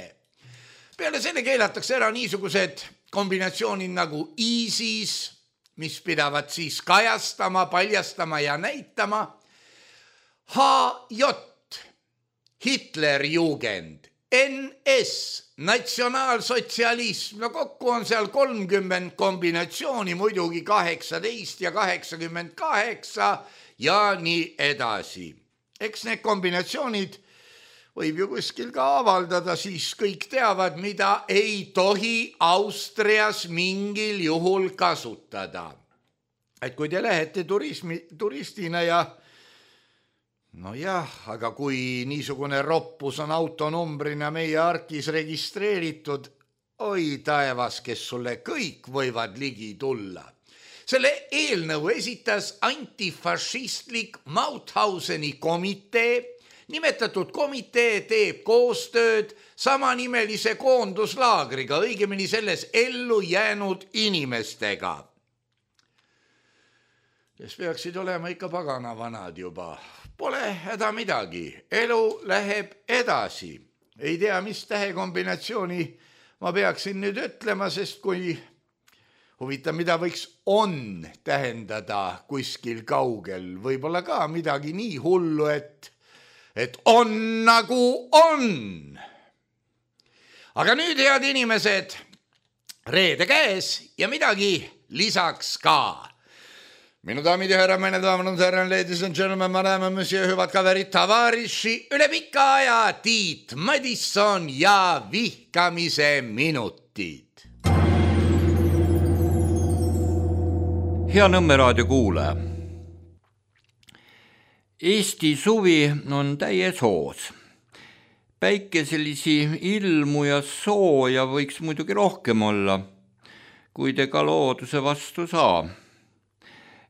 Peale selle keelatakse ära niisugused kombinatsioonid nagu ISIS, mis pidavat siis kajastama, paljastama ja näitama. HJ, Hitlerjugend, NS, natsionaalsotsialism, no kokku on seal 30 kombinatsiooni, muidugi 18 ja 88 ja nii edasi. Eks need kombinatsioonid võib ju kuskil ka avaldada, siis kõik teavad, mida ei tohi Austrias mingil juhul kasutada. Et kui te lähete turistina ja no jah, aga kui niisugune roppus on autonumbrina meie arkis registreeritud, oi taevas, kes sulle kõik võivad ligi tulla. Selle eelnõu esitas antifašistlik Mauthauseni komitee. Nimetatud komitee teeb koostööd samanimelise koonduslaagriga, õigemini selles ellu jäänud inimestega, kes peaksid olema ikka pagana vanad juba. Pole häda midagi, elu läheb edasi. Ei tea, mis tähekombinatsiooni ma peaksin nüüd ütlema, sest kui huvitav, mida võiks on tähendada kuskil kaugel, võib-olla ka midagi nii hullu, et on nagu on. Aga nüüd, head inimesed, reede käes ja midagi lisaks ka. Minu daamid ja härra, meine daamid und herren, ladies and gentlemen, madame, monsieur, hüvad kaverid, tavariši, üle pika aja Tiit Madisson ja vihkamise minutid. Hea Nõmme raadio kuulaja. Eesti suvi on täies hoos. Päikeselisi ilmu ja sooja võiks muidugi rohkem olla, kuid ega looduse vastu saa.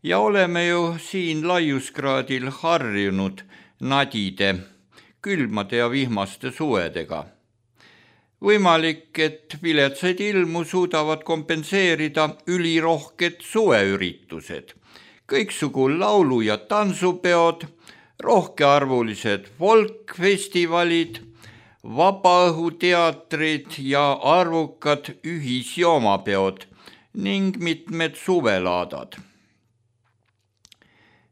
Ja oleme ju siin laiuskraadil harjunud nadide, külmade ja vihmaste suvedega. Võimalik, et viletsaid ilmu suudavad kompenseerida ülirohked suveüritused, kõiksugu laulu- ja tantsupeod, rohkearvulised folkfestivalid, vabaõhuteatrid ja arvukad ühisjoomapeod ning mitmed suvelaadad.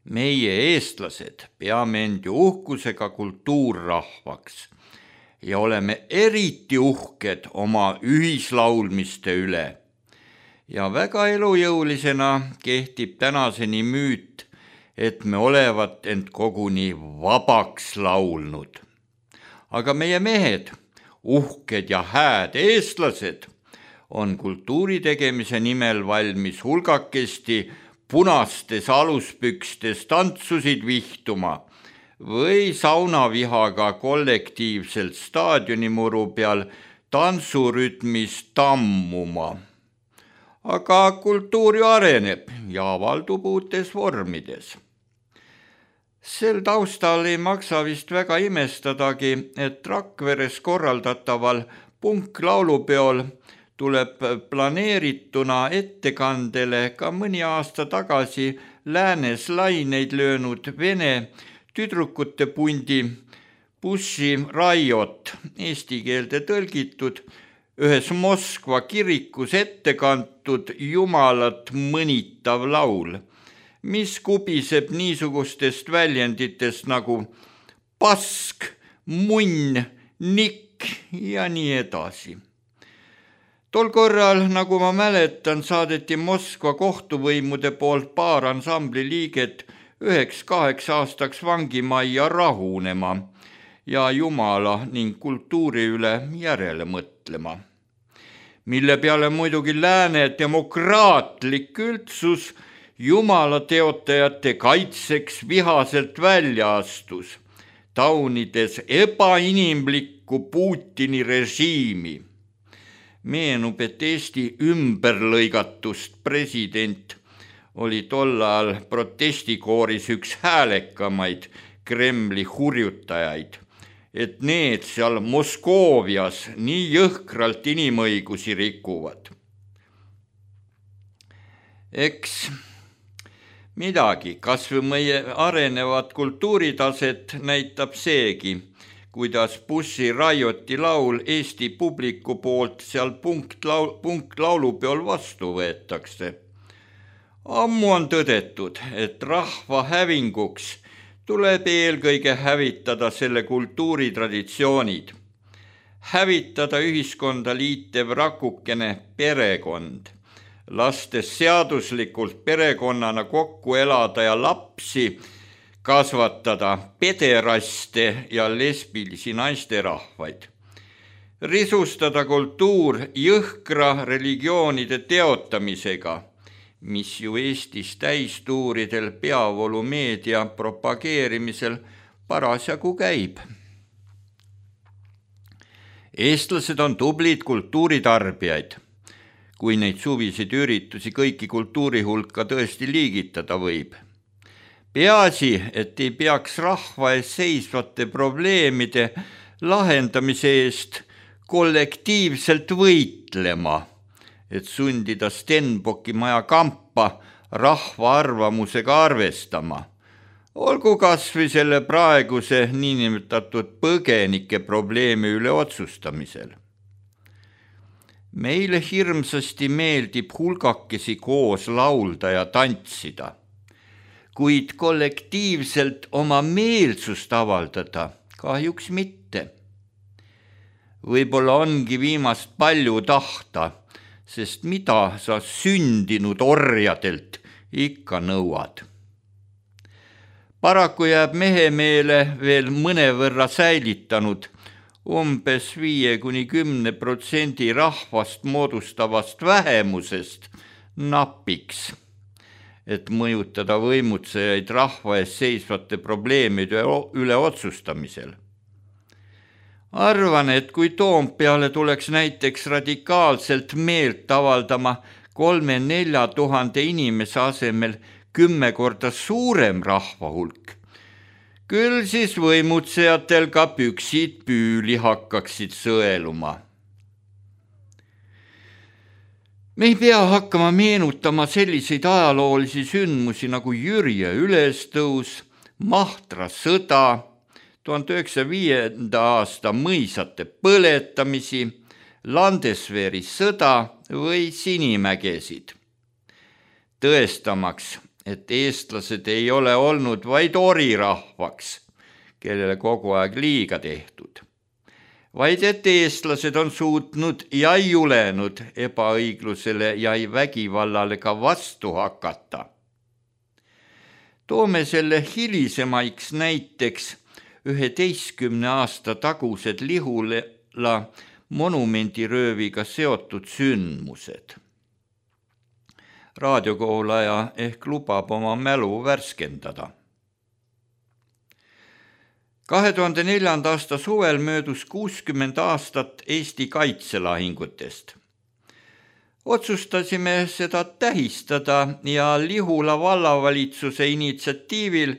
Meie eestlased peame end ju uhkusega kultuurrahvaks ja oleme eriti uhked oma ühislaulmiste üle. ja väga elujõulisena kehtib tänaseni müüt, et me olevat end koguni vabaks laulnud. Aga meie mehed, uhked ja hääd eestlased, on kultuuri tegemise nimel valmis hulgakesti punastes aluspükstes tantsusid vihtuma või saunavihaga kollektiivselt staadionimuru peal tantsurütmis tammuma. Aga kultuur ju areneb ja avaldub uutes vormides. Sel taustal ei maksa vist väga imestadagi, et Rakveres korraldataval punklaulupeol tuleb planeerituna ettekandele ka mõni aasta tagasi läänes laineid löönud vene tüdrukute pundi Pussy Riot, eesti keelde tõlgitud, ühes Moskva kirikus ette kantud jumalat mõnitav laul, mis kubiseb niisugustest väljenditest nagu pask, munn, nikk ja nii edasi. Tol korral, nagu ma mäletan, saadeti Moskva kohtuvõimude poolt paar ansambli liiget 9-8 aastaks vangimajja rahunema ja jumala ning kultuuri üle järele mõtlema. Mille peale muidugi lääne demokraatlik üldsus jumala teotajate kaitseks vihaselt välja astus, taunides ebainimlikku Putini režiimi. Meenub, et Eesti ümberlõigatust president oli tol ajal protestikooris üks häälekamaid Kremli hurjutajaid, et need seal Moskoovias nii jõhkralt inimõigusi rikuvad. Eks midagi, kas või meie arenevat kultuuritaset näitab seegi, kuidas Pussy Rioti laul Eesti publiku poolt seal punktlaulupeol vastu võetakse. Ammu on tõdetud, et rahva hävinguks tuleb eelkõige hävitada selle kultuuritraditsioonid, hävitada ühiskonda liitev rakukene perekond, lastes seaduslikult perekonnana kokku elada ja lapsi kasvatada pederaste ja lesbilisi naisterahvaid, risustada kultuur jõhkra religioonide teotamisega, mis ju Eestis täistuuridel peavoolumeedia propageerimisel parasjagu käib. Eestlased on tublid kultuuritarbijaid, kui neid suvisid üritusi kõiki kultuuri hulka tõesti liigitada võib. Peaasi, et ei peaks rahva ees seisvate probleemide lahendamise eest kollektiivselt võitlema, et sundida Stenbocki maja kampa rahva arvamusega arvestama. Olgu kas või selle praeguse niinimetatud põgenike probleemi üle otsustamisel. Meile hirmsasti meeldib hulgakesi koos laulda ja tantsida, kuid kollektiivselt oma meelsust avaldada kahjuks mitte. Võib-olla ongi viimast palju tahta, sest mida sa sündinud orjadelt ikka nõuad. Paraku jääb mehemeele veel mõnevõrra säilitanud umbes 5-10% rahvast moodustavast vähemusest napiks, et mõjutada võimutsejaid rahva ees seisvate probleemide üle otsustamisel. Arvan, et kui Toompeale tuleks näiteks radikaalselt meelt avaldama 3-4 tuhande inimese asemel 10 korda suurem rahvahulk, küll siis võimutsejatel ka püksid püüli hakkaksid sõeluma. Me ei pea hakkama meenutama selliseid ajaloolisi sündmusi nagu Jürje ülestõus, Mahtra sõda, 1905. aasta mõisate põletamisi, Landesveri sõda või Sinimägesid. Tõestamaks, et eestlased ei ole olnud vaid orirahvaks, kellele kogu aeg liiga tehtud, vaid et eestlased on suutnud ja julenud ebaõiglusele ja vägivallale ka vastu hakata. Toome selle hilisemaiks näiteks 11 aasta tagused Lihula monumendirööviga seotud sündmused. Raadiokuulaja ehk lubab oma mälu värskendada. 2004. aasta suvel möödus 60 aastat Eesti kaitselahingutest. Otsustasime seda tähistada ja Lihula vallavalitsuse initsiatiivil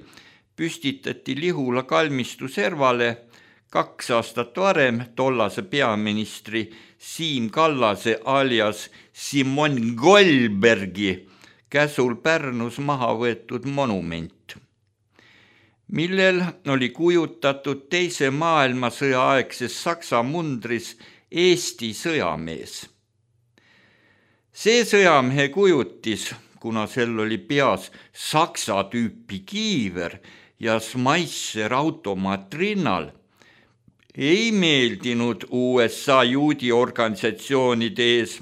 püstitati Lihula kalmistu servale 2 aastat varem tollase peaministri Siim Kallase alias Simon Goldbergi käsul Pärnus maha võetud monument, millel oli kujutatud Teise maailmasõja aegses Saksa mundris Eesti sõjamees. See sõjamehe kujutis, kuna sel oli peas Saksa tüüpi kiiver ja Schmeisser automaat rinnal, ei meeldinud USA juudi organisatsioonide ees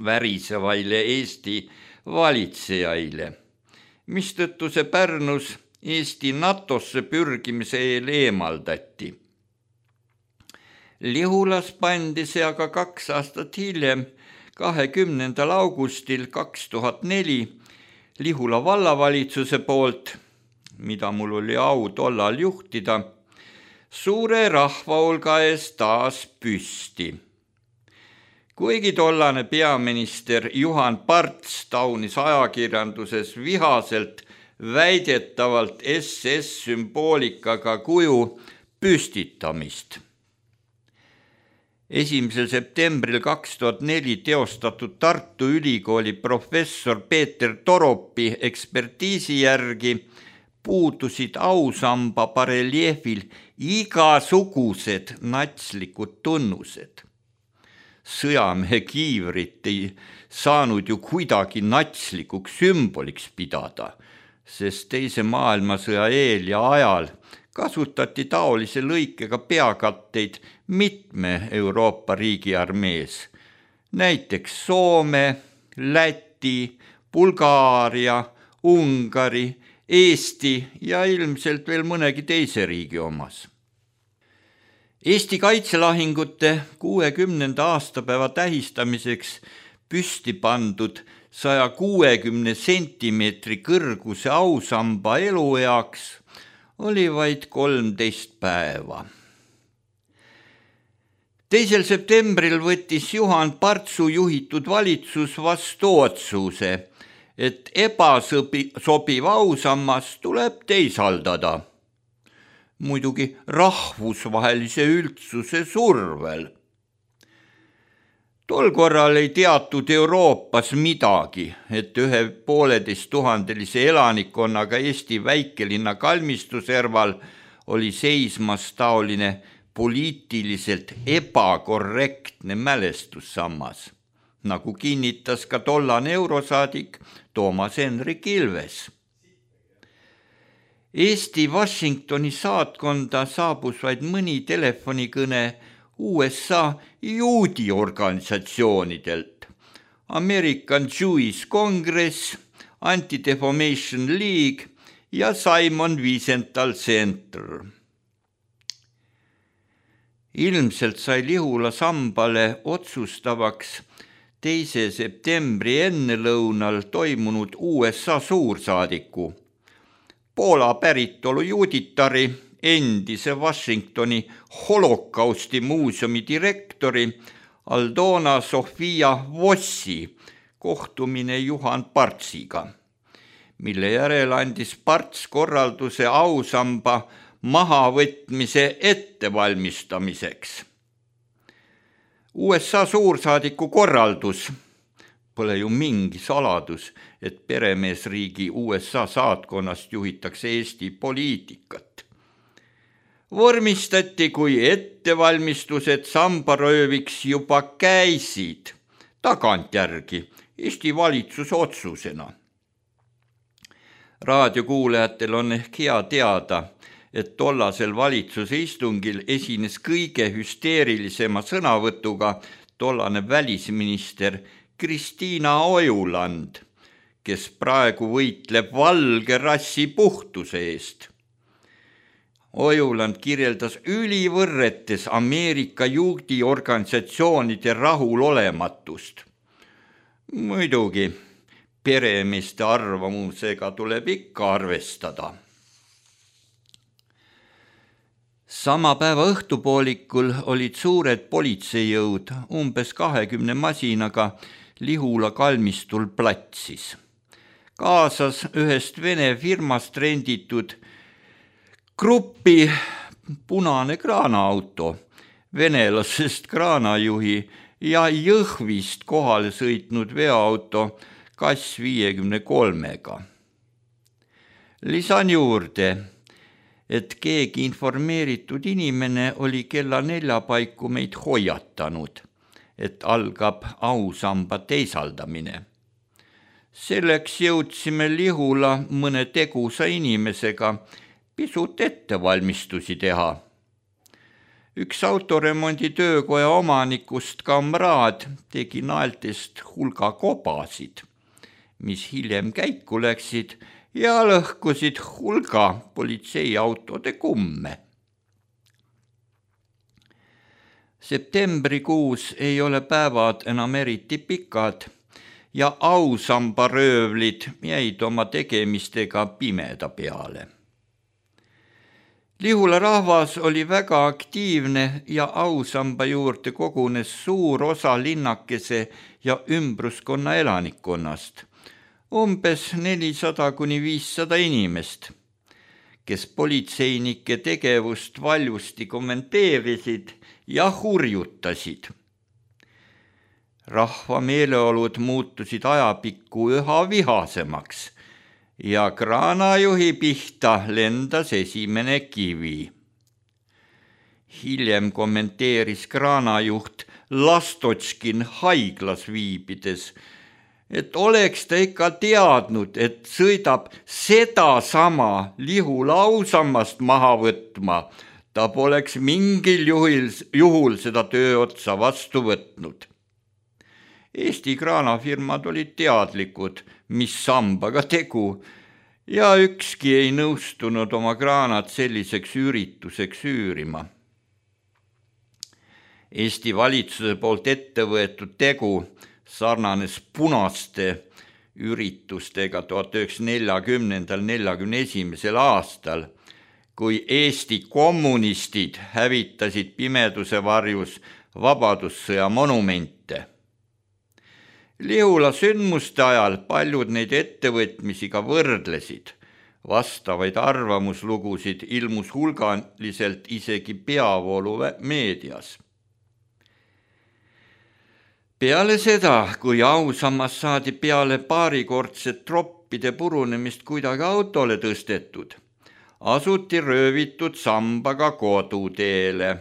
värisevaile Eesti valitsejaile, mistõttu see Pärnus Eesti NATOsse pürgimise eel eemaldati. Lihulas pandi see aga 2 aastat hiljem, 20. augustil 2004 Lihula vallavalitsuse poolt, mida mul oli au tollal juhtida, suure rahvahulga ees taas püsti. Kuigi tollane peaminister Juhan Parts taunis ajakirjanduses vihaselt väidetavalt SS-sümboolikaga kuju püstitamist. 1. septembril 2004 teostatud Tartu Ülikooli professor Peeter Toropi ekspertiisi järgi puudusid ausamba bareljeefil igasugused natslikud tunnused. Sõjamehe kiivrit ei saanud ju kuidagi natslikuks sümboliks pidada, sest Teise maailmasõja eel ja ajal kasutati taolise lõikega peakatteid mitme Euroopa riigi armees, näiteks Soome, Läti, Bulgaaria, Ungari, Eesti ja ilmselt veel mõnegi teise riigi omas. Eesti kaitselahingute 60. aastapäeva tähistamiseks püsti pandud 160 sentimeetri kõrguse ausamba elueaks oli vaid 13 päeva. 2. septembril võttis Juhan Partsu juhitud valitsus vastu otsuse, et ebasobiv ausammas tuleb teisaldada. Muidugi rahvusvahelise üldsuse survel. Tol korral ei teatud Euroopas midagi, et 1,5-tuhandelise elanikkonnaga Eesti väikelinna kalmistu serval oli seismas taoline poliitiliselt ebakorrektne mälestussammas, nagu kinnitas ka tollane eurosaadik Toomas Hendrik Ilves. Eesti Washingtoni saatkonda saabus vaid mõni telefonikõne USA juudi organisatsioonidelt, American Jewish Congress, Anti-Defamation League ja Simon Wiesenthal Center. Ilmselt sai Lihula sambale otsustavaks 2. septembri ennelõunal toimunud USA suursaadiku, Poola päritolu juuditari, endise Washingtoni holokausti muuseumi direktori Aldona Sofia Vossi kohtumine Juhan Partsiga, mille järel andis Parts korralduse ausamba mahavõtmise ettevalmistamiseks. USA suursaadiku korraldus, pole ju mingi saladus, et peremeesriigi USA saatkonnast juhitakse Eesti poliitikat. Vormistati, kui ettevalmistused sambarööviks juba käisid, tagantjärgi Eesti valitsuse otsusena. Raadiokuulajatel on ehk hea teada, et tollasel valitsuse istungil esines kõige hüsteerilisema sõnavõtuga tollane välisminister Kristiina Ojuland, kes praegu võitleb valge rassi puhtuse eest. Ojuland kirjeldas ülivõrretes Ameerika juudiorganisatsioonide rahulolematust. Muidugi, peremeeste arvamusega tuleb ikka arvestada. Sama päeva õhtupoolikul olid suured politseijõud umbes 20 masinaga Lihula kalmistul platsis. Kaasas ühest Vene firmast renditud gruppi punane kraanaauto, venelasest kraanajuhi ja Jõhvist kohale sõitnud veoauto Kass 53-ga. Lisan juurde, et keegi informeeritud inimene oli kella 4 paiku meid hoiatanud, et algab ausamba teisaldamine. Selleks jõudsime Lihula mõne tegusa inimesega pisut ettevalmistusi teha. Üks autoremondi töökoja omanikust kamraad tegi naeltest hulga kobasid, mis hiljem käiku läksid ja lõhkusid hulga politseiautode kumme. Septembrikuus ei ole päevad enam eriti pikad ja ausambaröövlid jäid oma tegemistega pimeda peale. Lihula rahvas oli väga aktiivne ja ausamba juurde kogunes suur osa linnakese ja ümbruskonna elanikkonnast, umbes 400–500 inimest, kes politseinike tegevust valjusti kommenteerisid ja hurjutasid. Rahva meeleolud muutusid ajapikku üha vihasemaks ja kraanajuhi pihta lendas esimene kivi. Hiljem kommenteeris kraanajuht Lastotškin haiglas viibides, et oleks ta ikka teadnud, et sõidab sedasama Lihula ausammast maha võtma, ta poleks mingil juhul seda tööotsa vastu võtnud. Eesti kraanafirmad olid teadlikud, mis sambaga tegu, ja ükski ei nõustunud oma kraanat selliseks ürituseks üürima. Eesti valitsuse poolt ette võetud tegu sarnanes punaste üritustega 1940–41 aastal, kui Eesti kommunistid hävitasid pimeduse varjus vabadussõja monumente. Lihula sündmuste ajal paljud neid ettevõtmisi ka võrdlesid. Vastavaid arvamuslugusid ilmus hulgaliselt isegi peavoolu meedias. Peale seda, kui ausammas saadi peale paarikordset troppide purunemist kuidagi autole tõstetud, asuti röövitud sambaga koduteele.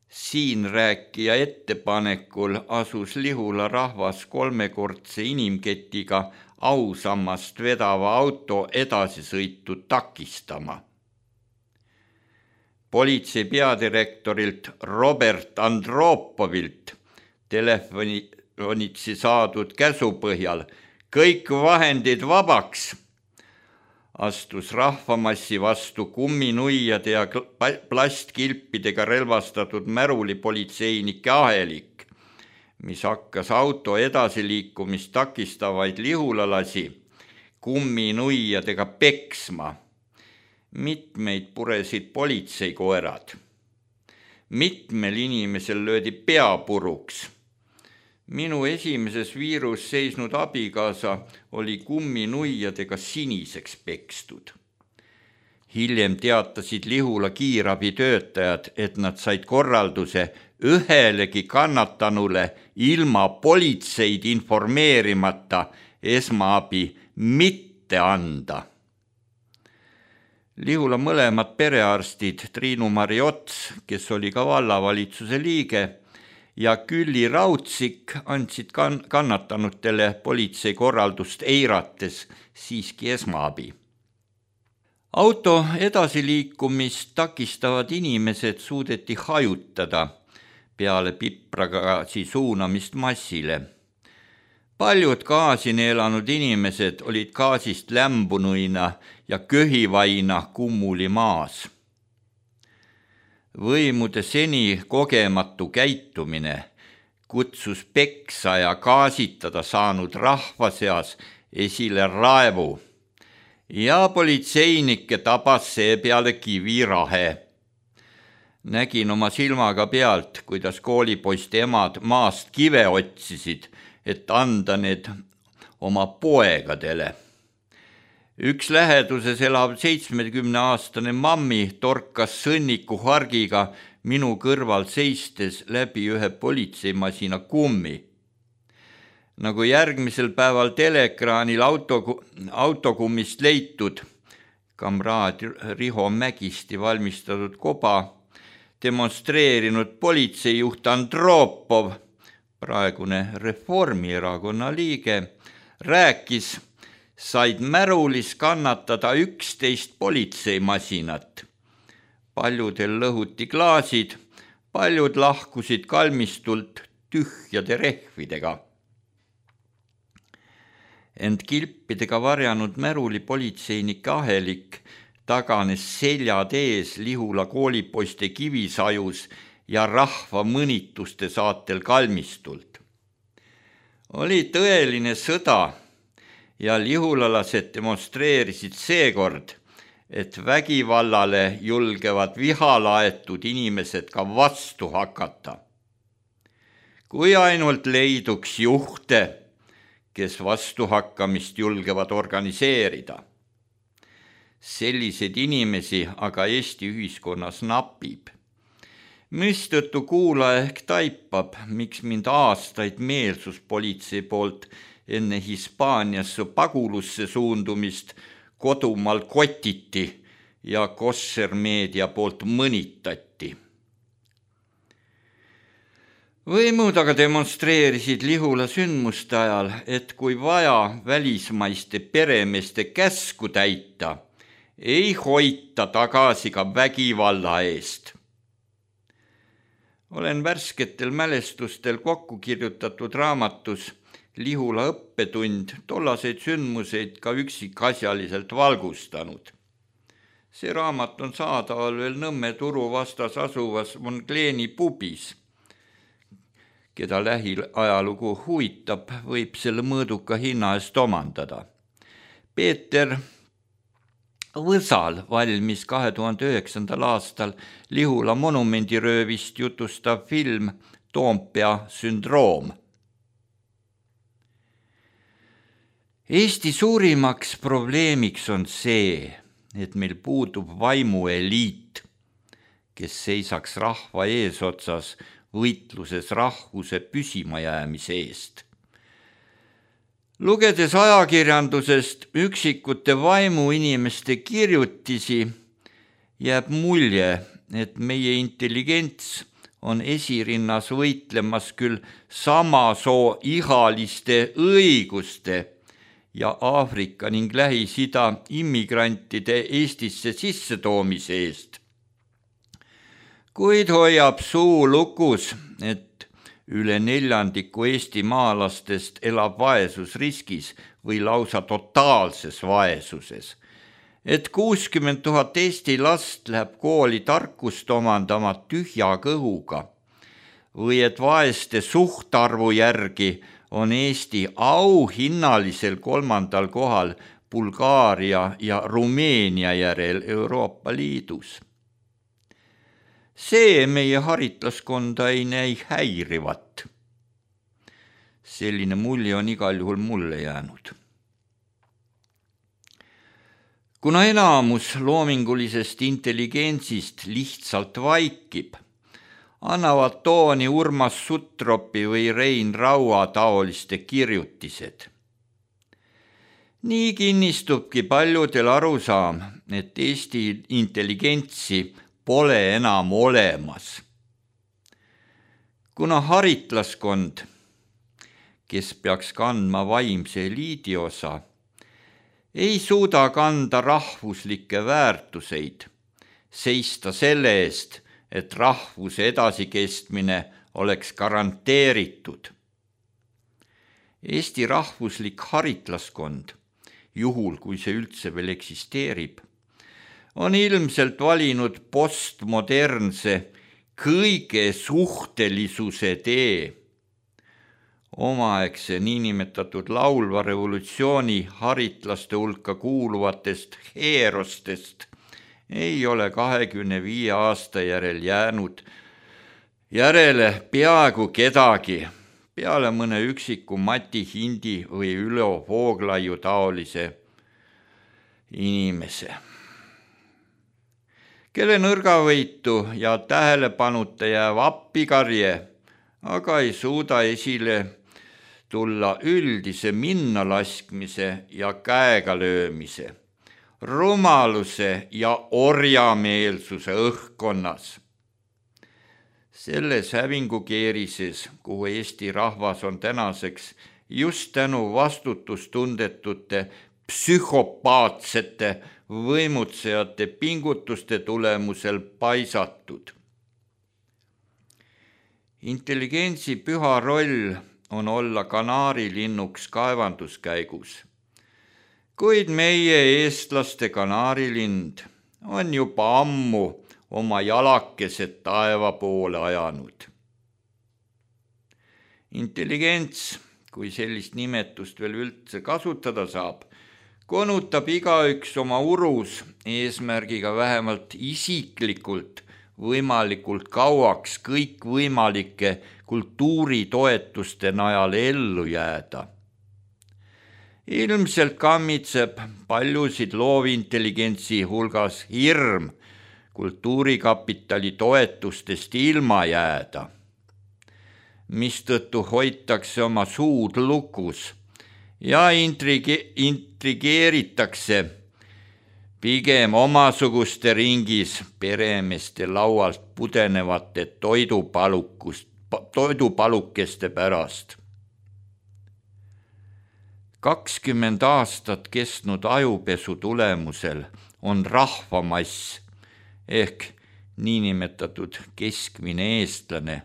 Siin rääkija ettepanekul asus Lihula rahvas 3-kordse inimketiga ausammast vedava auto edasisõitu takistama. Politsei peadirektorilt Robert Andropovilt telefonitsi saadud käsu põhjal kõik vahendid vabaks astus rahvamassi vastu kumminuiade ja plastkilpidega relvastatud märulipolitseinike ahelik, mis hakkas auto edasiliikumist takistavaid lihulalasi kumminuiadega peksma. Mitmeid puresid politseikoerad. Mitmel inimesel löödi pea puruks. Minu esimeses viirus seisnud abikaasa oli kumminuiadega siniseks pekstud. Hiljem teatasid Lihula kiirabitöötajad, et nad said korralduse ühelegi kannatanule ilma politseid informeerimata esmaabi mitte anda. Lihula mõlemad perearstid Triinu-Mari Ots, kes oli ka vallavalitsuse liige, ja Külli Raudsik andsid kannatanutele politsei korraldust eirates siiski esmaabi. Auto edasiliikumist takistavad inimesed suudeti hajutada peale pipragaasi suunamist massile. Paljud gaasi neelanud inimesed olid gaasist lämbunuina ja köhivaina kummuli maas. Võimude seni kogematu käitumine kutsus peksa ja gaasitada saanud rahva seas esile raevu ja politseinikke tabas seepeale kivirahe. Nägin oma silmaga pealt, kuidas koolipoiste emad maast kive otsisid, et anda need oma poegadele. Üks läheduses elav 70-aastane mammi torkas sõnniku hargiga minu kõrval seistes läbi ühe politseimasina kummi. Nagu järgmisel päeval teleekraanil autokummist leitud, kamraad Riho Mägisti valmistatud koba, demonstreerinud politseijuht Andropov, praegune Reformierakonna liige, rääkis, said märulis kannatada 11 politseimasinat. Paljudel lõhuti klaasid, paljud lahkusid kalmistult tühjade rehvidega. Ent kilpidega varjanud märuli politseinike ahelik taganes seljad ees Lihula koolipoiste kivisajus ja rahva mõnituste saatel kalmistult. Oli tõeline sõda ja lihulalased demonstreerisid seekord, et vägivallale julgevad vihalaetud inimesed ka vastu hakata. Kui ainult leiduks juhte, kes vastuhakkamist julgevad organiseerida. Selliseid inimesi aga Eesti ühiskonnas napib. Mistõttu kuulaja ehk taipab, miks mind aastaid meelsuspolitsei poolt enne Hispaaniasse pagulusse suundumist kodumaal kotiti ja kossermeedia poolt mõnitati. Võimud aga demonstreerisid Lihula sündmuste ajal, et kui vaja välismaiste peremeeste käsku täita, ei hoita tagasi ka vägivalla eest. Olen värsketel mälestustel kokku kirjutatud raamatus Lihula õppetund tollaseid sündmuseid ka üksikasjaliselt valgustanud. See raamat on saadaval veel Nõmme turu vastas asuvas Moncleni pubis. Keda lähiajalugu huvitab, võib selle mõõduka hinna eest omandada. Peeter Võsal valmis 2009. aastal Lihula monumendiröövist jutustav film Toompea sündroom. Eesti suurimaks probleemiks on see, et meil puudub vaimueliit, kes seisaks rahva eesotsas võitluses rahvuse püsimajäämise eest. Lugedes ajakirjandusest üksikute vaimuinimeste kirjutisi, jääb mulje, et meie intelligents on esirinnas võitlemas küll sama soo ihaliste õiguste ja Aafrika ning Lähis-Ida immigrantide Eestisse sissetoomise eest. Kuid hoiab suu lukus, et üle 4% Eesti maalastest elab vaesusriskis või lausa totaalses vaesuses, et 60 000 Eesti last läheb kooli tarkust omandama tühja kõhuga või et vaeste suhtarvu järgi on Eesti auhinnalisel 3. kohal Bulgaaria ja Rumeenia järel Euroopa Liidus. See meie haritlaskonda ei näi häirivat. Selline mulje on igal juhul mulle jäänud. Kuna enamus loomingulisest intelligentsist lihtsalt vaikib, annavad tooni Urmas Sutropi või Rein Raua taoliste kirjutised. Nii kinnistubki paljudel arusaam, et Eesti intelligentsi pole enam olemas. Kuna haritlaskond, kes peaks kandma vaimse eliidi osa, ei suuda kanda rahvuslikke väärtuseid, seista selle eest, et rahvuse edasikestmine oleks garanteeritud. Eesti rahvuslik haritlaskond, juhul kui see üldse veel eksisteerib, on ilmselt valinud postmodernse kõige suhtelisuse tee. Omaaegse niinimetatud laulva revolutsiooni haritlaste hulka kuuluvatest heerostest ei ole 25 aasta järel jäänud järele peaaegu kedagi, peale mõne üksiku Mati Hindi või Ülo Vooglaiu taolise inimese, kelle nõrgavõitu ja tähelepanuta jääv appikarje aga ei suuda esile tulla üldise minnalaskmise ja käega löömise, rumaluse ja orjameelsuse õhkkonnas. Selles hävingukeerises, kuhu Eesti rahvas on tänaseks just tänu vastutustundetute psühhopaatsete võimutsejate pingutuste tulemusel paisatud. Intelligentsi püha roll on olla kanaarilinnuks kaevanduskäigus, kuid meie eestlaste kanaarilind on juba ammu oma jalakesed taeva poole ajanud. Intelligents, kui sellist nimetust veel üldse kasutada saab, konutab igaüks oma urus eesmärgiga vähemalt isiklikult võimalikult kauaks kõikvõimalike kultuuritoetuste najal ellu jääda. Ilmselt kammitseb paljusid loovintelligentsi hulgas hirm kultuurikapitali toetustest ilma jääda, mistõttu hoitakse oma suud lukus ja intrigeeritakse pigem omasuguste ringis peremeeste laualt pudenevate toidupalukeste pärast. 20 aastat kestnud ajupesu tulemusel on rahvamass ehk niinimetatud keskmine eestlane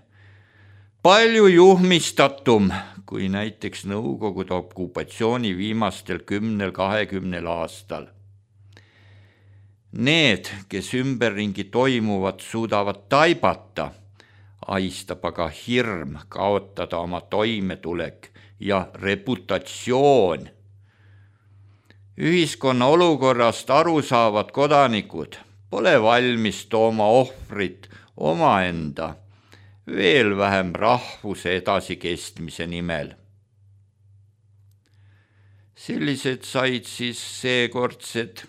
palju juhmistatum kui näiteks Nõukogude okupatsiooni viimastel 10-20 aastal. Need, kes ümberringi toimuvat suudavad taibata, ahistab aga hirm kaotada oma toimetulek ja reputatsioon. Ühiskonna olukorrast aru saavad kodanikud pole valmis tooma ohvrit omaenda, veel vähem rahvuse edasikestmise nimel. Sellised said siis seekordsed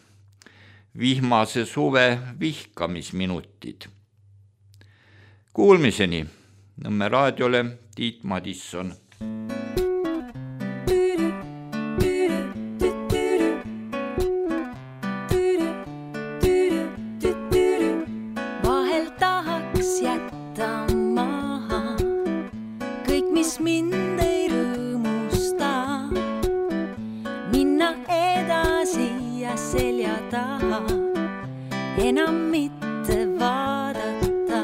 vihmase suve vihkamisminutid. Kuulmiseni. Nõmme raadiole Tiit Madisson. Vahel tahaks jätta maha kõik, mis mind ei rõõmusta, minna edasi ja selja taha enam mitte vaadata.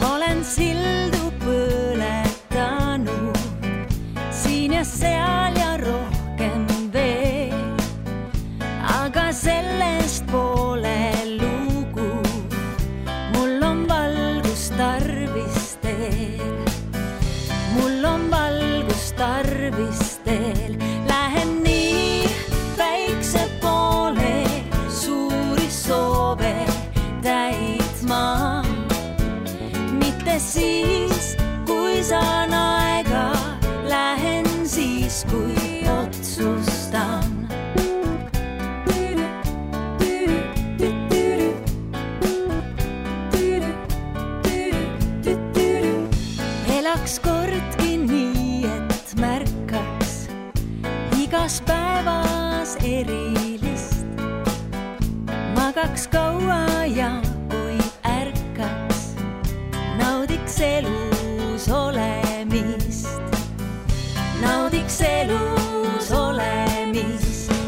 Olen sildu põletanud siin ja seal ja rohkem veel, aga sellest pole lugu. Mul on valgust tarvis teel, mul on valgust tarvis teel. Lähen nii päikse poole suuri soove täitma, mitte siis, kui saan aega, lähen siis, kui otsustan. Elaks kordki nii, et märkaks igas päevas erilist, magaks kaua ja kui ärkaks, naudiks elus olemist, naudiks elus olemist.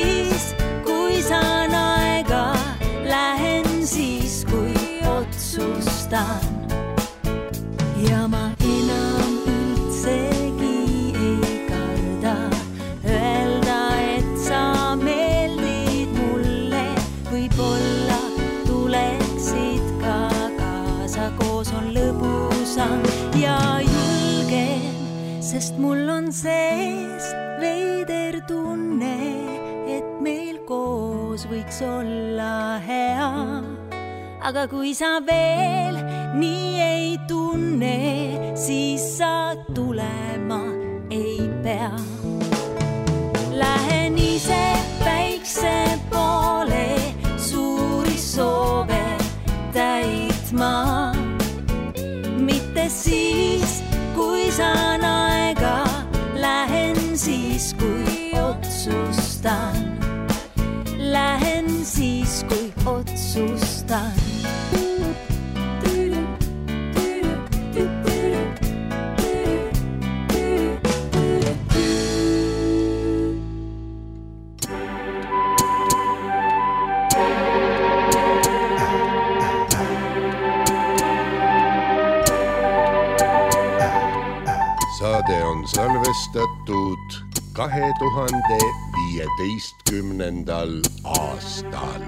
siis, kui saan aega, lähen siis, kui otsustan. Ja ma enam üldsegi ei karda öelda, et sa meeldid mulle. Võib-olla tuleksid ka kaasa, koos on lõbusam ja julgem, sest mul on sees veider tunne, et meil koos võiks olla hea. Aga kui sa veel nii ei tunne, siis sa tulema ei pea. Lähen ise päikse poole suuri soove täitma. Mitte siis, kui saan aega, lähen siis, kui otsustan. Lähen siis, kui otsustan. Saade on salvestatud 2015. aastal.